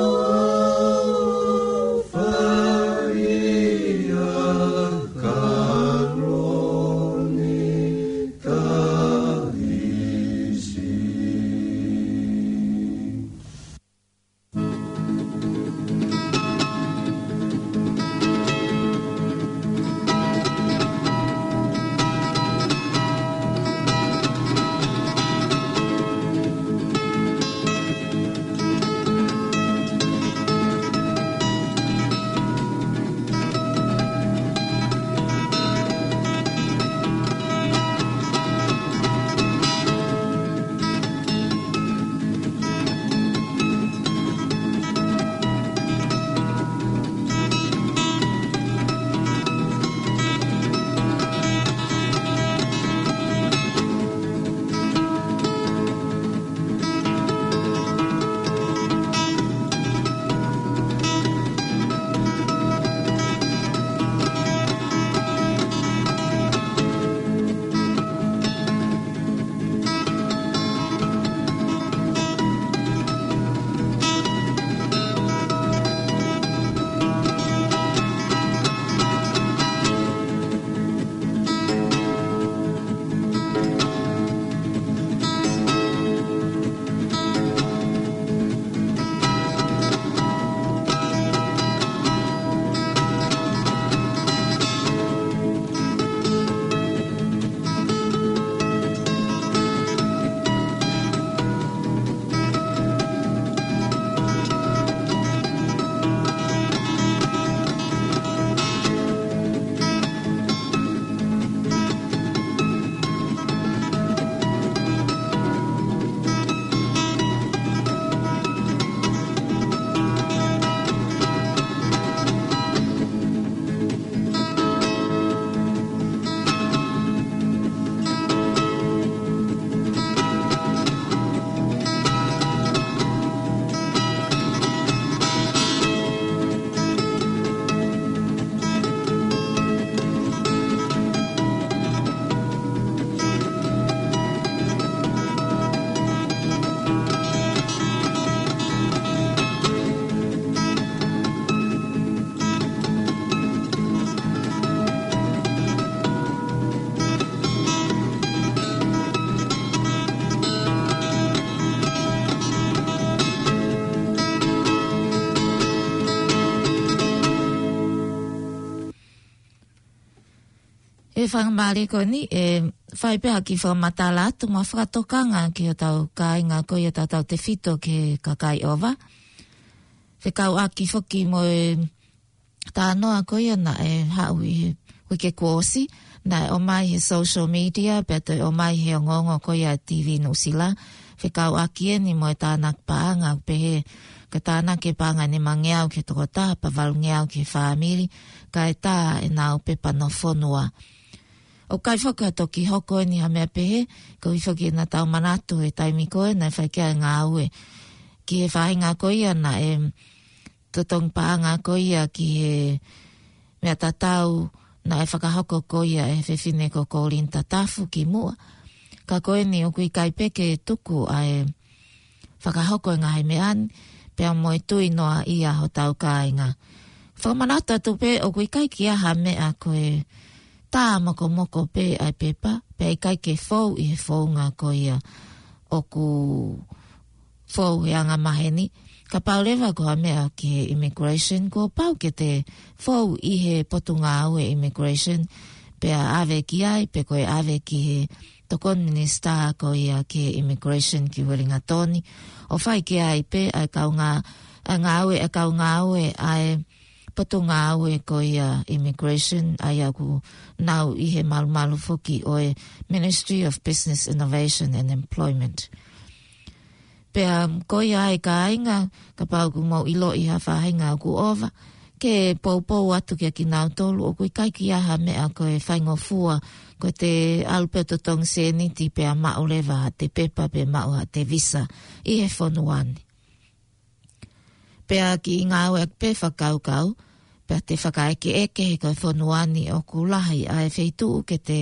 fai a kaloni tahisi. ʻE faingamālie ko eni, ʻe fai pē ha kiʻi fakamatala atu mo ha fakatokanga ki hotau kāinga ko ia tautautefito ki he kakai ʻova. Fekauʻaki foki mo e talanoa ko ia naʻe haʻu ʻi he uike kuo ʻosi, naʻe ʻomai he social media, pea toe ʻomai he ongoongo ko ia TV Nuʻusila. Fekauʻaki eni mo e tānaki paʻanga, pehē ko e tānaki e paʻanga ʻe nimangeau ki he tokotaha, pea valungeau ki he fāmili, kae tā ʻenau pepa nofo fonua. ʻOku ʻikai foki ha toki hoko eni ha meʻa pehē, koeʻuhi foki naʻa tau manatu he taimi ko ē naʻe fai ki ai e ngāue ki he faʻahinga ko ia naʻe totongi paʻanga ko ia ki he meʻa tatau naʻe fakahoko ko ia ʻe he fefine ko Kolini Tatafu kimuʻa. Ka ko eni ʻoku ʻikai pē ke tuku ʻa e fakahoko e ngaahi meʻa ni, pea mo e tui noaʻia hotau kāinga. Fakamanatu atu pē ʻoku ʻikai ke ʻi ai ha meʻa ko e tā mokomoko pē ʻa e pepa, pea ʻikai ke fou ʻi he founga ko ia ʻoku fou he anga maheni. Kapau leva ko ha meʻa ki he immigration, kuo pau ke te fou ʻi he potungāue immigration, pea ʻave ki ai, pe ko e ʻave ki he tokoni minisitā ko ia ki he immigration ki Uelingatoni. ʻO fai ki ai pē ʻa e kau ngā-, ʻa e ngāue, ʻa e kau ngāue ʻa e potungāue ko ia immigration, ʻa ia ʻoku nau ʻi he malumalu foki ʻo e Ministry of Business, Innovation and Employment. Pea ko ia ai kāinga, kapau ʻoku mou ʻiloʻi ha faʻahinga ʻoku ʻova, ke poupou atu kia kinautolu, ʻoku ʻikai ke ʻi ai ha meʻa ko e faingofua, ko e te ʻalu pē ʻo totongi sēniti pea maʻu leva ha te pepa pe maʻu ha te visa ʻi he fonua ni. Pea kiʻi ngāueʻaki pē fakakaukau, pea te fakaʻekeʻeke he ko e fonua ni ʻoku lahi ʻa e feituʻu ke te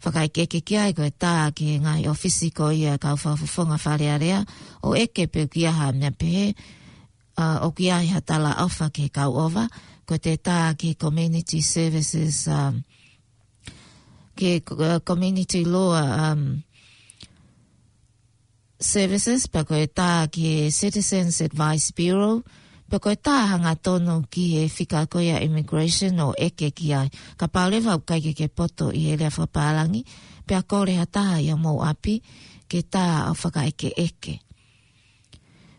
fakaʻekeʻeke ki ai, ko e tā ki he ngaahi ʻōfisi ko ia kau fakafofonga Fale Alea, ʻo ʻeke pe ʻoku ʻi ai ha meʻa pehē, ʻa, ʻoku ʻi ai ha talaʻofa ki he kau ʻova, ko e te tā ki he community services, um, ki he, uh, community law, um, services, pea ko e tā ki he Citizens Advice Bureau, pea ko e tā hangatonu ki he fika ko ia immigration ʻo ʻeke ki ai. Kapau leva ʻoku ʻikai ke ke poto ʻi he lea fakapālangi, pea kole ha taha ʻi homou ʻapi ke tā ʻo fakaʻekeʻeke.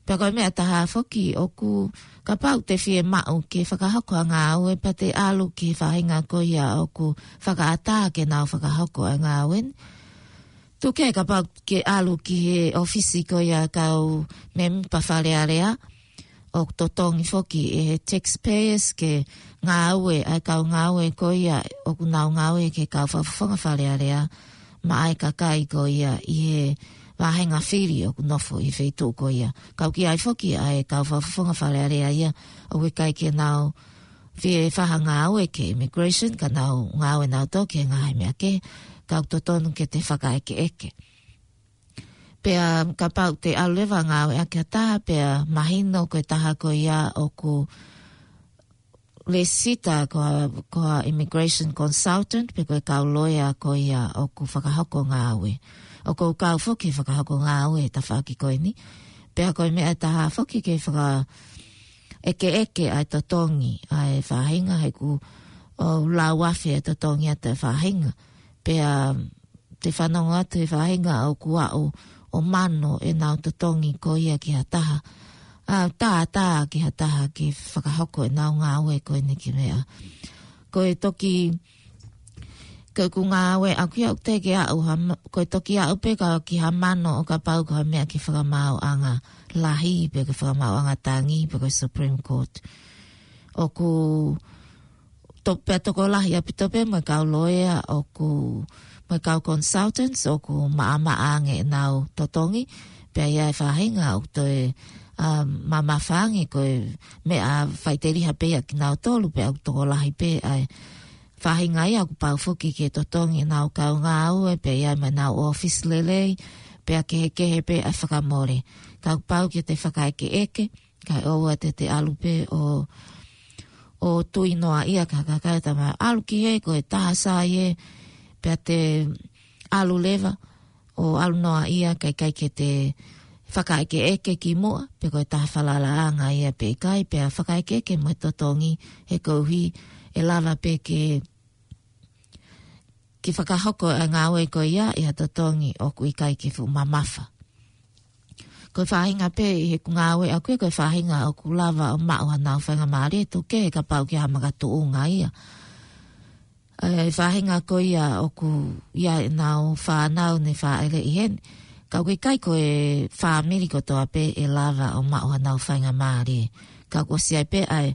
Pea ko e meʻa ʻe taha foki ʻoku kapau te fiemaʻu ke fakahoko ha ngāue pea te ʻalu ki he faʻahinga ko ia ʻoku fakaʻatā ke nau fakahoko ʻa e ngāue ni. Tuku kehe kapau ke ʻalu ki he ʻōfisi ko ia kau mēmipa Fale Alea, ʻoku totongi foki ʻe he taxpayers ke ngāue ʻa e kau ngāue ko ia ʻoku nau ngāue ki he kau fakafofonga Fale Alea, maʻa e kakai ko ia ʻi he vāhenga fili ʻoku nofo ʻi he feituʻu ko ia. Ka ʻoku ʻi ai foki ʻa e kau fakafofonga Fale Alea ia ʻoku ʻikai ke nau fie fai ha ngāue ki he immigration, ka nau ngāue nautolu ki he ngaahi meʻa kehe, ka ʻoku totonu ke te fakaʻekeʻeke. Pea kapau te ʻalu leva ʻo ngāueʻaki ha taha, pea mahino ko e taha ko ia ʻoku lēsisita ko ha, ko ha immigration consultant, pe ko e kau loea ko ia ʻoku fakahoko ngāue. ʻOku ou kau foki he fakahoko ngāue he tafaʻaki ko eni. Pea ko e meʻa ʻe taha foki ke fakaʻekeʻeke ʻa e totongi ʻa e faʻahinga, he ʻoku lau afe e totongi ʻa e faʻahinga. Pea te fanongo atu he faʻahinga ʻoku aʻu ʻo mano ʻenau totongi ko ia ki ha taha, ʻa, tā, tā ki ha taha ke fakahoko ʻenau ngāue ko eni ki meʻa. Ko e toki, ko ʻeku ngāueʻaki ʻoku teʻeki aʻu ha ma-, ko e toki aʻu pē ka ki ha mano ʻo kapau ko ha meʻa ki he fakamaauʻanga lahi, pe ki he fakamaauʻanga tangi, pe ko e Supreme Court. ʻOku to-, pea tokolahi ʻaupito pē mo e kau loea ʻoku, mo e kau consultants ʻoku maʻamaʻa ange ʻenau totongi, pea ʻi ai e faʻahinga ʻoku toe, um, mamafa ange ko e meʻa faʻiteliha pē ia kinautolu, pea ʻoku tokolahi pē ʻa e faʻahinga ia ʻoku pau foki ke totongi ʻenau kau ngāue, pea ʻi ai mo ʻenau ʻōfisi lelei, pea kehekehe pē ʻa e fakamole. Ka ʻoku pau ke te fakaʻekeʻeke, kae ʻoua te te ʻalu pē ʻo, ʻo tui noaʻia ki ha kakai ʻo talamai ʻalu ki hē, ko e taha sai ē, pea te ʻalu leva ʻo ʻalu noaʻia, kae ʻikai ke te fakaʻekeʻeke kimuʻa, pe ko e taha falalaʻanga ia pe ʻikai, pea fakaʻekeʻeke mo e totongi, he koeʻuhi ʻe lava pē ke ke fakahoko e ngāue ko ia ʻi ha totongi ʻoku ʻikai ke fuʻu mamafa. Ko e faʻahinga pē ʻi heʻeku ngāue ʻaʻaku ia, ko e faʻahinga ʻoku lava ʻo maʻu haʻanau faingamālie, tuku kehe kapau ʻoku ʻi ai ha makatuʻunga ia. E faʻahinga ko ia ʻoku ʻi ai ʻenau fānau ne fāʻeleʻi heni. Ka ʻoku ʻikai ko e fāmili kotoa pē ʻe lava ʻo maʻu haʻanau faingamālie. Ka ʻoku ʻosi ʻi ai pē ʻa e,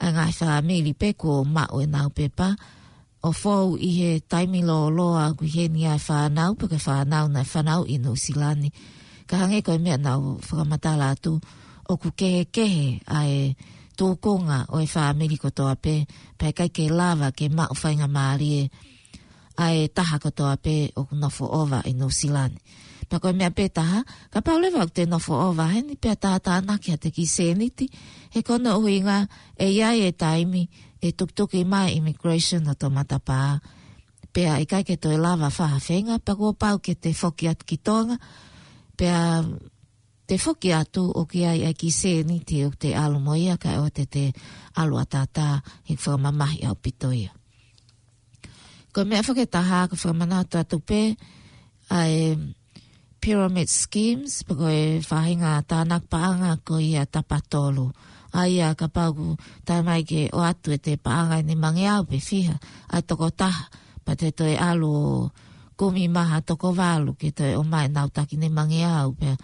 ʻa e ngaahi fāmili pē kuo maʻu ʻenau pepa ʻo fou ʻi he taimi lōloa ʻoku ʻi heni ʻa e fānau, pe ko e fānau naʻe fanauʻi ʻi Nuʻusila ni. Ka hangē ko e meʻa naʻá ku fakamatala atu, ʻoku kehekehe ʻa e tūkunga ʻo e fāmili kotoa pē, pea ʻikai ke lava ke maʻu faingamālie ʻa e taha kotoa pē ʻoku nofo ʻova ʻi Nuʻusila ni. Pea ko e meʻa pē taha, kapau leva ʻoku te nofo ʻova heni, pea tātānaki haʻate kiʻi sēniti, he ko hono ʻuhinga ʻe ʻi ai e taimi ʻe tukituki mai e immigration ʻo toʻo matapā. Pea ʻikai ke toe lava fai ha feinga, pea kuo pau ke te foki atu ki Tonga, pea te foki atu ʻoku ʻi ai e kiʻi sēniti ʻoku te ʻalu mo ia, kae ʻoua te te ʻalu ʻataʻatā, he ʻoku fakamamahi ʻaupito ia. Ko e meʻa foki ʻe taha, ʻoku fakamanatu atu pē ʻa e pyramid schemes, pe ko e faʻahinga tānaki paʻanga ko ia tapatolu. ʻA ia kapau ʻoku tae mai ke ʻoatu ʻete paʻanga ʻe nimangeau pe fiha ʻa e tokotaha, pea te toe ʻalu ʻo kumi mai ha toko valu ke toe ʻomai ʻenau taki nimangeau, pea,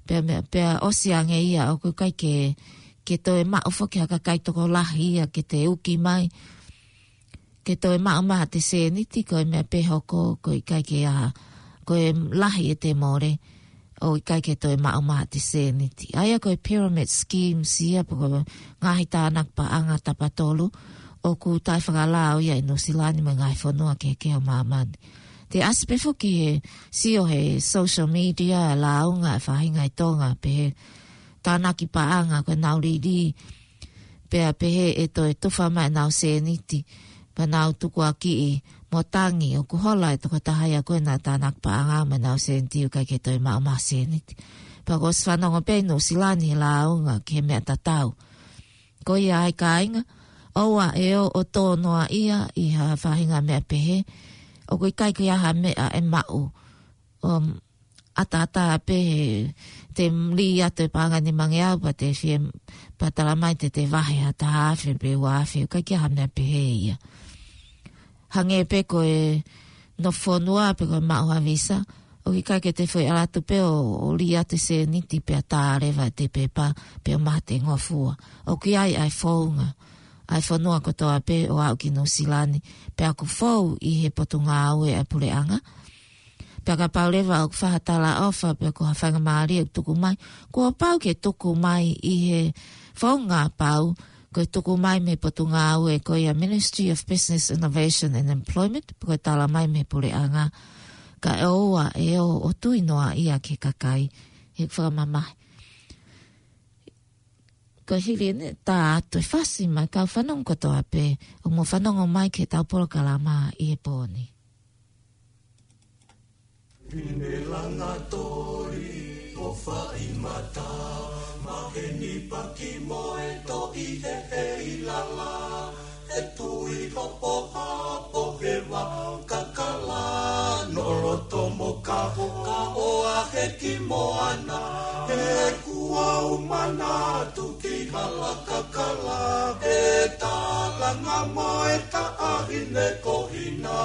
pea meʻa, pea ʻosi ange ia ʻoku ʻikai ke, ke toe maʻu foki ha kakai tokolahi ia ke te uki mai, ke toe maʻu mai haʻate sēniti, ko e meʻa pē hoko, ko e ʻikai ke ʻi ai ha, ko e lahi ʻete mole, ʻo ʻikai ke toe maʻu mai haʻate sēniti. ʻA ia ko e pyramid schemes ia, pe ko e ngaahi tānaki paʻanga tapatolu, ʻoku taʻefakalao ia ʻi Nuʻusila ni mo e ngaahi fonua kehekehe ʻo māmani. Te ʻasi pē foki he sio he social media, lāunga e faʻahinga ʻi Tonga, pehē tānaki paʻanga ko ʻenau lili, pea pehē ʻe toe tufa mai ʻenau sēniti, pea nau tukuakiʻi mo tangi ʻoku hola e tokotaha ia ko ē naʻe tānaki paʻanga mo ʻenau sēniti ʻoku ʻikai ke toe maʻu mai ha sēniti. Pea kuo ʻosi fanongo pē ʻi Nuʻusila ni he lāunga ki he meʻa tatau. Ko ia ai kāinga, ʻoua ʻe ō ʻo tō noa ia ʻi ha faʻahinga meʻa pehē, ʻoku ʻikai ke ʻi ai ha meʻa ʻe maʻu, um, ʻataʻatā pē he te lī atu e paʻanga ʻe nimangeau pea te fie, pea tala mai te te vahe ha taha afe pe ua afe, ʻoku ʻikai ke ʻi ai ha meʻa pehē ia. Hangē pē ko e nofo fonua pe ko e maʻu ha visa, ʻoku ʻikai ke te foʻi ʻalu atu pē ʻo, ʻo lī atu e sēniti pea tā leva ʻete pepa pea ʻomai haʻate ngofua. ʻOku ʻi ai ʻa e founga ʻa e fonua kotoa pē ʻo aʻu ki Nuʻusila ni, pea ʻoku fou ʻi he potungāue ʻa e puleʻanga. Pea kapau leva ʻoku fai ha talaʻofa pe ko ha faingamālie ʻoku tuku mai, kuo pau ke tuku mai ʻi he founga pau, ko e tuku mai mei he potungāue ko ia Ministry of Business, Innovation and Employment, pe ko e tala mai mei he puleʻanga, kae ʻoua ʻe ō ʻo tui noa ia ki he kakai, he ʻoku fakamamahi. Ko e hili eni tā atu e fasi mai kau fanongo kotoa pē, ʻoku mou fanongo mai ki heʻetau polokalama ʻi he pō ni. Pine langa toli ʻo fai mata, maheni paki mo e toʻi he he i lala, e tui hopo hapo he vā kakala, no loto mo kaho, ka ʻoa he ki moana, he kuau manatu ki hala kakala, e talanga mo e taʻahine ko hina.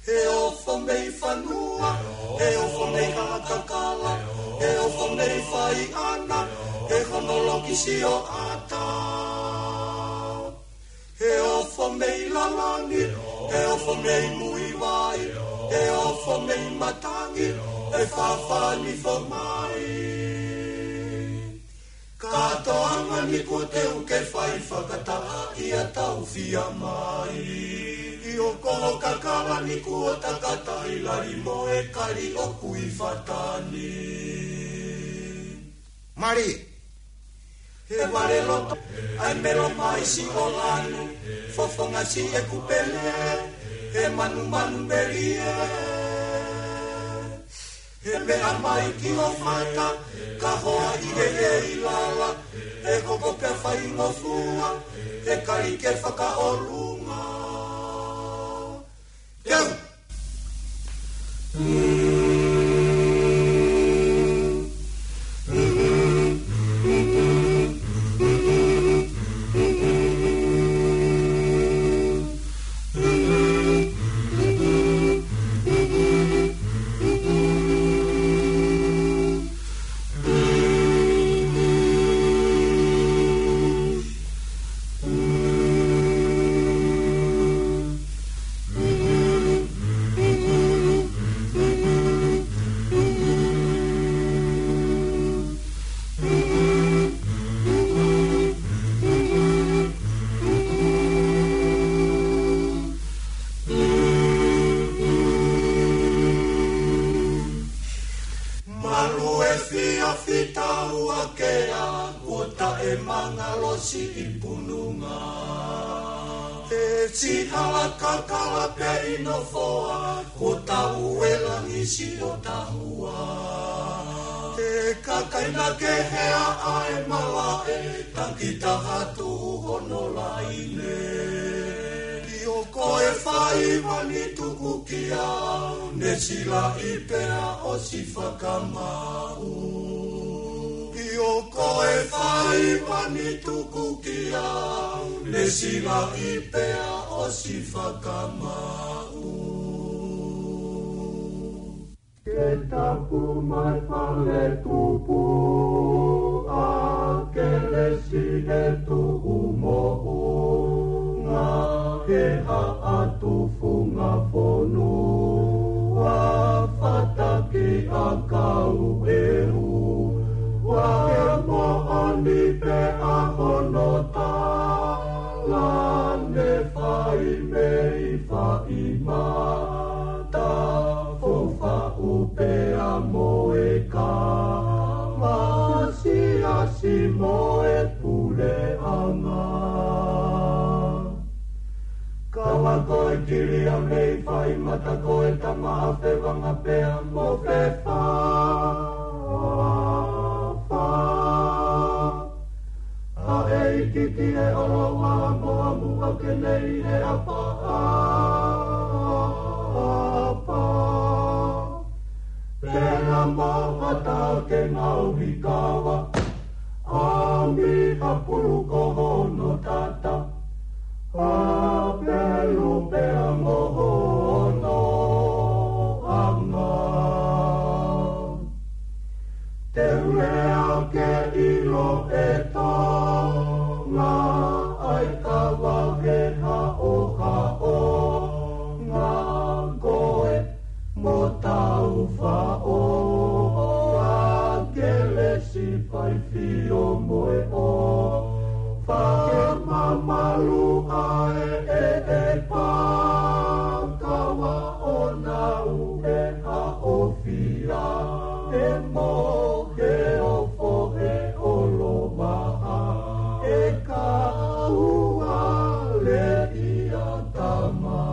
He ofo mei fanua, he ofo mei hala kakala, he ofo mei fai ana, he hono loki sio ata. He ofo mei lalani, he ofo mei muivai, he ofo mei matangi, he fafani fo mai. Katoanga ni kuo teu ke fai fakataha ia tau fia mai. ʻI ʻo ko kakala ni kuo takata i lali mo e kali ʻoku ʻi fata ni. Mali. He vale loto, ʻai melo mai si o lanu, fofonga si e kupele, he manumanu melie. He meʻa mai ki o fata, ka hoa i he he i lala, he koko ke fai ngofua, he kali ke fakaolunga. Malu e fiafi taua kea, kuo taʻe mangalosi ʻi pununga. E sihala kakala pē ʻi nofoa, kuo tau e langi siʻo tahua. E kakai na ke hea ʻa e malaʻe, taki taha tuʻu hono laine. ʻIo ko e faiva ni tuku kiate au, ne silaʻi pea ʻosi fakamaʻu. ʻIo ko e faiva ni tuku kiate au, ne silaʻi pea ʻosi fakamaʻu. Ke tapu mai fale tupu ʻa Kelesi ʻe tuʻu moʻunga, he haʻa tufunga fonua, fataki ʻakau ʻe ua, ke moʻoni pē ʻa hono tala, ne fai mei fai mata, fou faʻu pea mo e kama, siasi mo e puleʻanga. Kau ako e kilia mei fai mata, ko e tama ʻa Fevanga pea mo Fefa. ʻA e ʻikiʻiki e ʻolovaha mo ʻamu ake nei e ʻapa, ʻapa. Pea mo Vata ke ngaohi kava, ʻa Mihapulu ko hono tata, ʻa Pelu pea mo hono anga. Te u lea ke ʻilo ʻe Tonga, ʻa e kava he haʻohaʻonga ko e mo tau faʻo, ʻa Kelesi fai fio mo e ʻofa, ke mamalu ʻa e ʻeʻe pā, kava ʻo nau e haʻofia, e mo he ofo he ʻolovaha, e kau ale ia tama.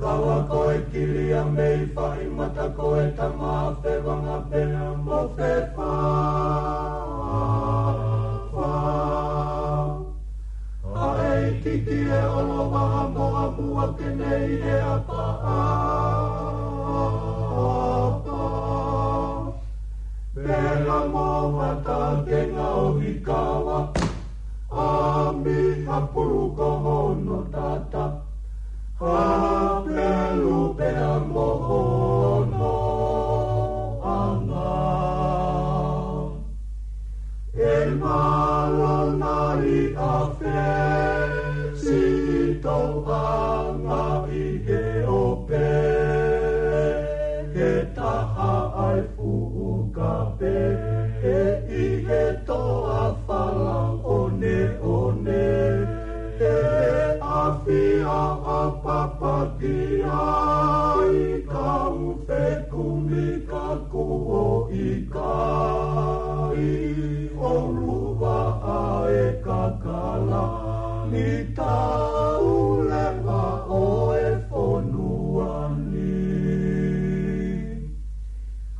Kau ako e kilia mei fai mata, ko e tama ʻa Fevanga pea mo Fefa. ʻA e ʻikiʻiki e ʻolovaha mo ʻamu ake nei e ʻapa, ʻapa. Pea mo Vata ke ngaohi kava, ʻa Mihapulu ko hono tata, ʻa Pelu pea mo hono anga. E malona ʻi ʻAfesi, tauʻanga ʻi he ope, he taha ʻa e fuʻu kape, he ʻi he toa fala oneone, he ʻafio ʻa Papaki ai kau fekumi ka kuo ʻikai, ʻoluvaʻa e kakala ni, tau leva ʻo e fonua ni.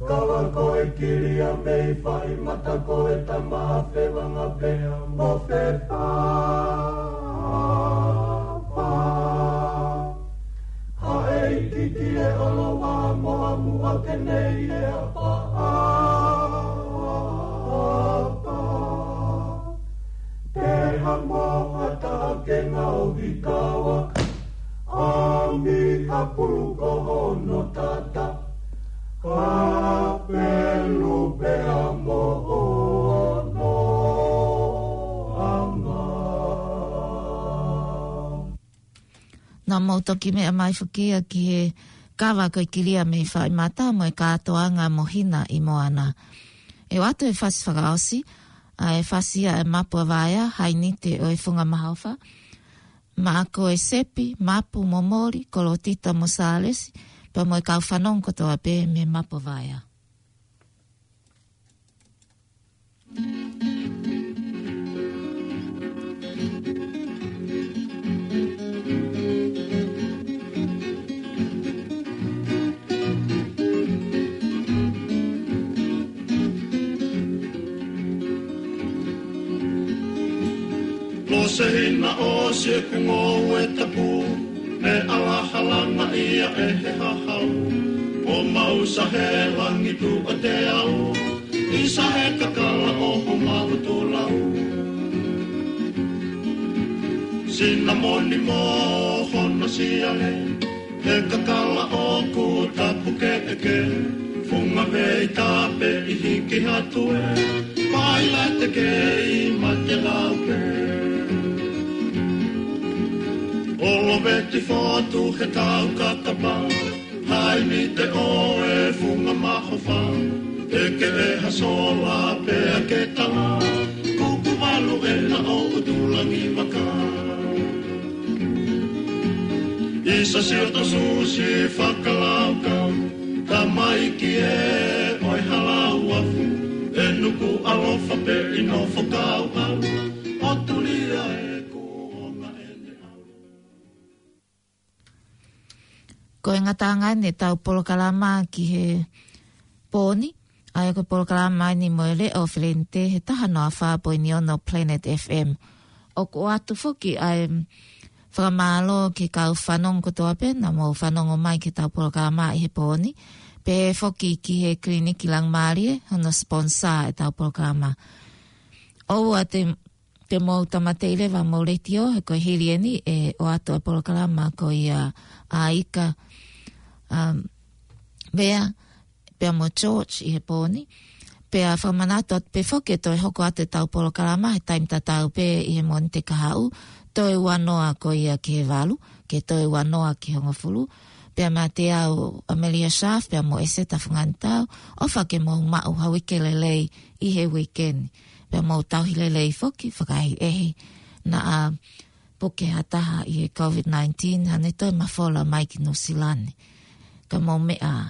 Kau ako e kilia mei fai mata, ko e tama ʻa Fevanga pea mo Fefa. ʻOloa mo amu ake nei e apa, apa. Te ha moha ta ke ngau i kawa, ami ha pulu ko hono tata, ha pelu pea mo hono anga. Naʻa mau toki meʻa mai foki ia ki he kava ko e Kilia mei Faimata mo e kātoanga mo Hina ʻi Moana. ʻE ʻoatu e fasi fakaʻosi, ʻa e fasi ia ʻa e Mapu ʻa Vaea, Hainite ʻo e Funga Mahofa, maʻa ko e Sepi, Mapu mo Moli, Kolotita mo Sālesi, pea mo e kau fanongo kotoa pē mei Mapu ʻa Vaea. Lose hina ʻo sieku ngoue tapu, ne ʻalahala na ia ʻe he hahau. ʻO mau sa he langi tuʻa te au, ʻi sa he kakala ʻo ho mahutu lau. Sinamoni mo hono siale, he kakala ʻoku tapu keʻeke, funga vei tape ʻi hiki hatue, pailate kei mate lau pē. ʻOloveti fotu he tau kakapa, Hainite ʻo e Funga Mahofa, ʻe ke ʻe ha sola pea ke tala, kuku valu ʻena ʻo ʻUtulangi Vaka. ʻI sa sio to susi fakalaukau, tamaiki ē ʻo e Halauafu, ʻe nuku ʻalofa pē ʻi nofo kau au, ʻo tulia e kuonga ʻene au. Ko e ngataʻanga eni ʻetau polokalama ki he pō ni, ʻa ia ko e polokalama eni mo e Leʻo Felente he taha noa fā poini ono Planet F M. ʻOku ʻoatu foki ʻa e fakamālō ki he kau fanongo kotoa pē naʻa mou fanongo mai ki heʻetau polokalama ʻi he pō ni, pehē foki ki he Kiliniki Langimālie, hono sponsor ʻetau polokalama. ʻOua te te mou tāmateʻi leva homou letiō, he ko e hili eni ʻe ʻoatu ʻa e polokalama ko ia ʻa Ika, um, Vea, pea mo George ʻi he pō ni. Pea fakamanatu atu pē foki ʻe toe hoko atu ʻetau polokalama he taimi tatau pē ʻi he Mōnite kahaʻu, toe ua noa ko ia ki he valu, ke toe ua noa ki he hongofulu. Pea mate au Amelia Sharf, pea mo ʻEseta Funganitau, ʻofa ke mou maʻu ha uike lelei ʻi he uike ni. Pea mou tauhi lelei foki, fakaʻehiʻehi, naʻa puke ha taha ʻi he COVID nineteen, hane toe mafola mai ki Nuʻusila ni. Ka mou meʻa